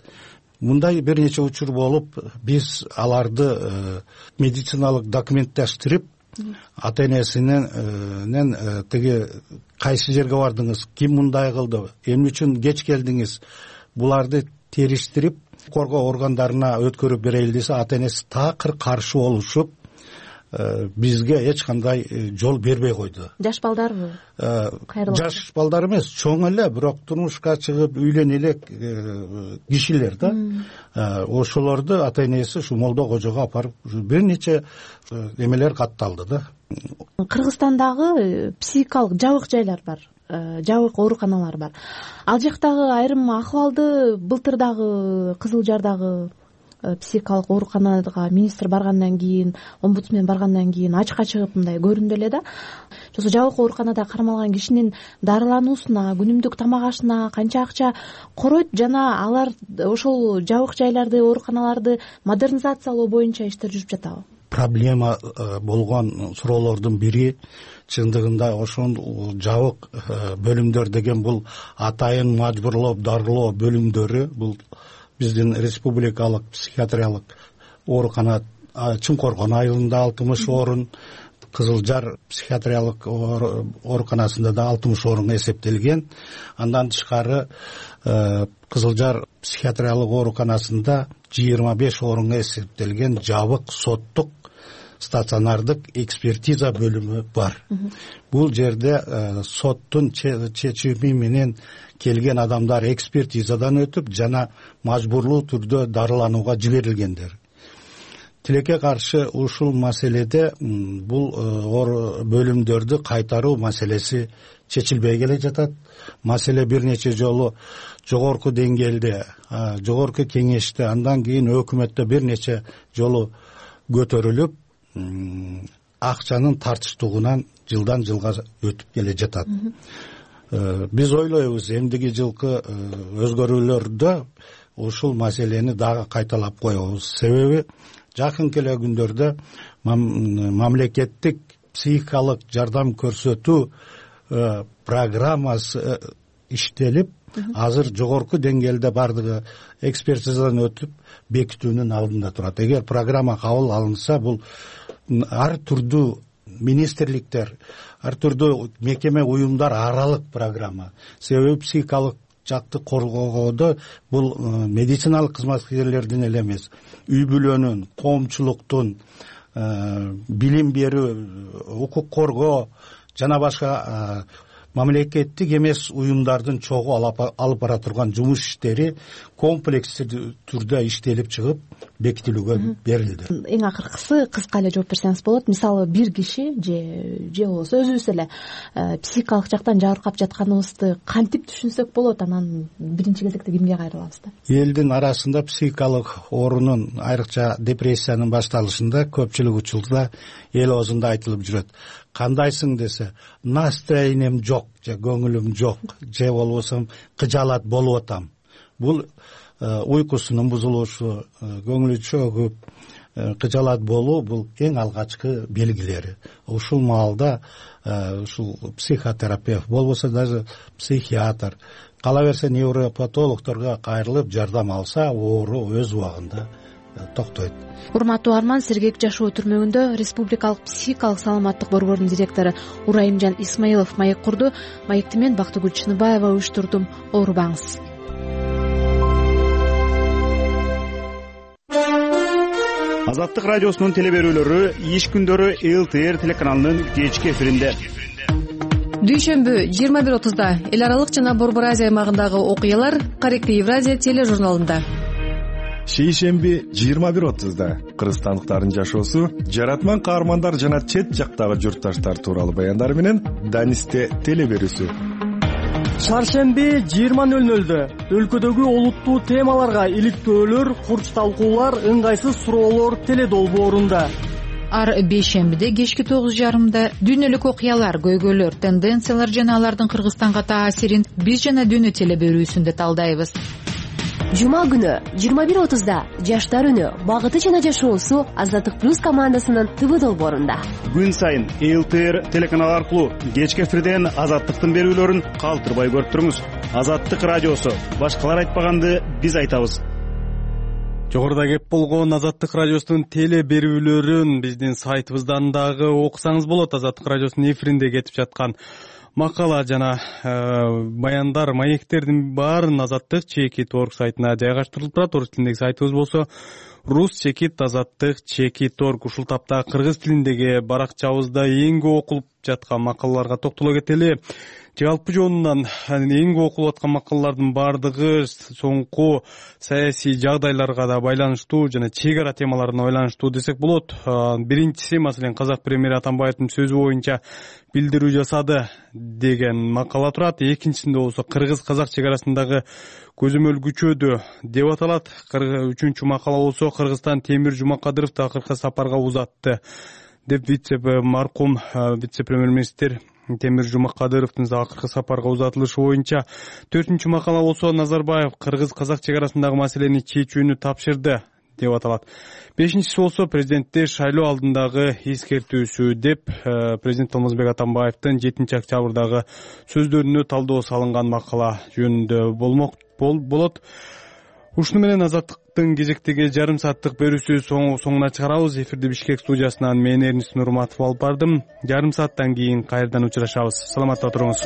Мындай бир нече учур болуп, биз аларды медициналык документтештирип, ата-энесинен тиги кайсы жерге бардыңыз, ким мындай кылды, эмне үчүн кеч келдиңиз, буларды териштирип, коргоо органдарына өткөрүп берели десе, ата-энеси такыр каршы болушуп, бизге эч кандай жол бербей койду. Жаш балдарбы? Жаш балдар эмес, чоң эле, бирок турмушка чыгып үйлөнө элек кишилер да. Ошолорду ата-энеси ушу молдо кожого апарып бир нече эмелер катталды да. Кыргызстандагы психикалык жабык жайлар бар, жабык ооруканалар бар. Ал жактагы айрым акыбалды былтыр дагы Кызыл Жардагы психикалык ооруканага министр баргандан кийин, омбудсмен баргандан кийин ачыкка чыгып мындай көрүндү эле да. Ошо жабык ооруканада кармалган кишинин дарылануусуна, күнүмдүк тамак ашына канча акча коройт жана алар ошол жабык жайларды, ооруканаларды модернизациялоо боюнча иштер жүрүп жатабы? Проблема болгон суроолордун бири чындыгында ошол жабык бөлүмдөр деген бул атайын мажбурлоо дарылоо бөлүмдөрү, бул биздин республикалык психиатриялык оорукана Чымкоргон айылында 60 орун, Кызыл Жар психиатриялык ооруканасында да 60 орун эсептелген. Андан тышкары Кызыл Жар психиатриялык ооруканасында 25 орун эсептелген жабык соттук стационардык экспертиза бөлүмү бар. Бул жерде соттун чечими менен келген адамдар экспертизадан өтүп жана мажбурлуу түрдө дарыланууга жиберилгендер. Тилекке каршы ушул маселеде бул бөлүмдөрдү кайтаруу маселеси чечилбей келе жатат. Маселе бир нече жолу жогорку деңгээлде, жогорку кеңеште, андан кийин өкмөттө бир нече жолу көтөрүлүп, акчанын тартыштыгынан жылдан жылга өтүп келе жатат. Биз ойлойбуз, эмдиги жылкы өзгөрүүлөрдө ушул маселени дагы кайталап коебуз. Себеби жакынкы эле күндөрдө мамлекеттик психикалык жардам көрсөтүү программасы иштелип, азыр жогорку деңгээлде бардыгы экспертизадан өтүп бекитүүнүн алдында турат. Эгер программа кабыл алынса, бул ар түрдүү министрликтер, ар түрдүү мекеме уюмдар аралык программа. Себеби психикалык жакты коргоодо бул медициналык кызматкерлердин эле эмес, үй бүлөнүн, коомчулуктун, билим берүү, укук коргоо жана башка мамлекеттик эмес уюмдардын чогуу алып бара турган жумуш иштери комплекстүү түрдө иштелип чыгып бекитилүүгө берилди. Эң акыркысы кыска эле жооп берсеңиз болот. Мисалы бир киши же болбосо өзүбүз эле психикалык жактан жабыркап жатканыбызды кантип түшүнсөк болот? Анан биринчи кезекте кимге кайрылабыз да? Элдин арасында психикалык оорунун, айрыкча депрессиянын башталышында көпчүлүк учурда эл оозунда айтылып жүрөт. Кандайсың десе, настроением жок, же көңүлүм жок, же болбосо кыжаалат болуп атам. Бул уйкусунун бузулушу, көңүлү чөгүп, кыжаалат болуу бул эң алгачкы белгилери. Ушул маалда ушул психотерапевт болбосо даже психиатр, кала берсе невропатологдорго кайрылып жардам алса, оору өз убагында токтойт. Урматтуу Арман, Сергек жашоо түрмөгүндө Республикалык психикалык саламаттык борборунун директору Урайымжан Исмаилов маек курду. Маекти мен Бактыгүл Чыныбаева уюштурдум. Оорубаңыз. Азаттык радиосунун телеберүүлөрү иш күндөрү ЛТР телеканалынын кечки эфиринде. Дүйшөмбү 21:30 эл аралык жана Борбор Азия аймагындагы окуялар Каректи Евразия тележурналында. шейшемби 21:30 кыргызстандыктардын жашоосу, жаратман каармандар жана чет жактагы журтташтар тууралуу баяндар менен Данисте телеберүүсү. Шаршемби 20:00 өлкөдөгү олуттуу темаларга иликтөөлөр, курч талкуулар, ыңгайсыз суроолор теледолбоорунда. Ар бейшембиде кечки 9:30 дүйнөлүк окуялар, көйгөйлөр, тенденциялар жана алардын Кыргызстанга таасирин биз жана дүйнө телеберүүсүндө талдайбыз. Жума күнү 21:30 Жаштар үнү, багыты жана жашоосу Азаттык плюс командасынын ТВ долбоорунда. Күн сайын ЛТР телеканалы аркылуу кечки эфирден Азаттыктын берүүлөрүн калтырбай көрүп туруңуз. Азаттык радиосу, башкалар айтпаганды биз айтабыз. Жогоруда кеп болгон Азаттык радиосунун теле берүүлөрүн биздин сайтыбыздан дагы окусаңыз болот. Азаттык радиосунун эфиринде кетип жаткан макала жана баяндар, маектердин баарын Азаттык.org сайтына жайгаштырылып турат. Орус тилиндеги сайтыбыз болсо rus.azattik.org. Ушул тапта кыргыз тилиндеги баракчабызда эң көп окулуп жаткан макалаларга токтоло кетели. Жалпы жонунан эң көп окулуп аткан макалалардын баардыгы соңку саясий жагдайларга да байланыштуу жана чек ара темаларына байланыштуу десек болот. Биринчиси, маселен, казак премьери Атамбаевдин сөзү боюнча билдирүү жасады деген макала турат. Экинчисинде болсо кыргыз-казак чек арасындагы көзөмөл күчөдү деп аталат. Үчүнчү макала болсо Кыргызстан Темир Жумакадыровду акыркы сапарга узатты деп маркум вице-премьер-министр Темир Жумакадыровдун акыркы сапарга узатылышы боюнча. Төртүнчү макала болсо Назарбаев кыргыз-казак чек арасындагы маселени чечүүнү тапшырды деп аталат. Бешинчиси болсо президентти шайлоо алдындагы эскертүүсү деп президент Алмазбек Атамбаевдин 7-октябрдагы сөздөрүнө талдоо салынган макала жөнүндө болот. Ушуну менен Азаттыктын кезектеги жарым сааттык берүүсү соңуна чыгарабыз. Эфирди Бишкек студиясынан мен Эрнис Нурматов алып бардым. Жарым сааттан кийин кайрадан учурашабыз. Саламатта туруңуз.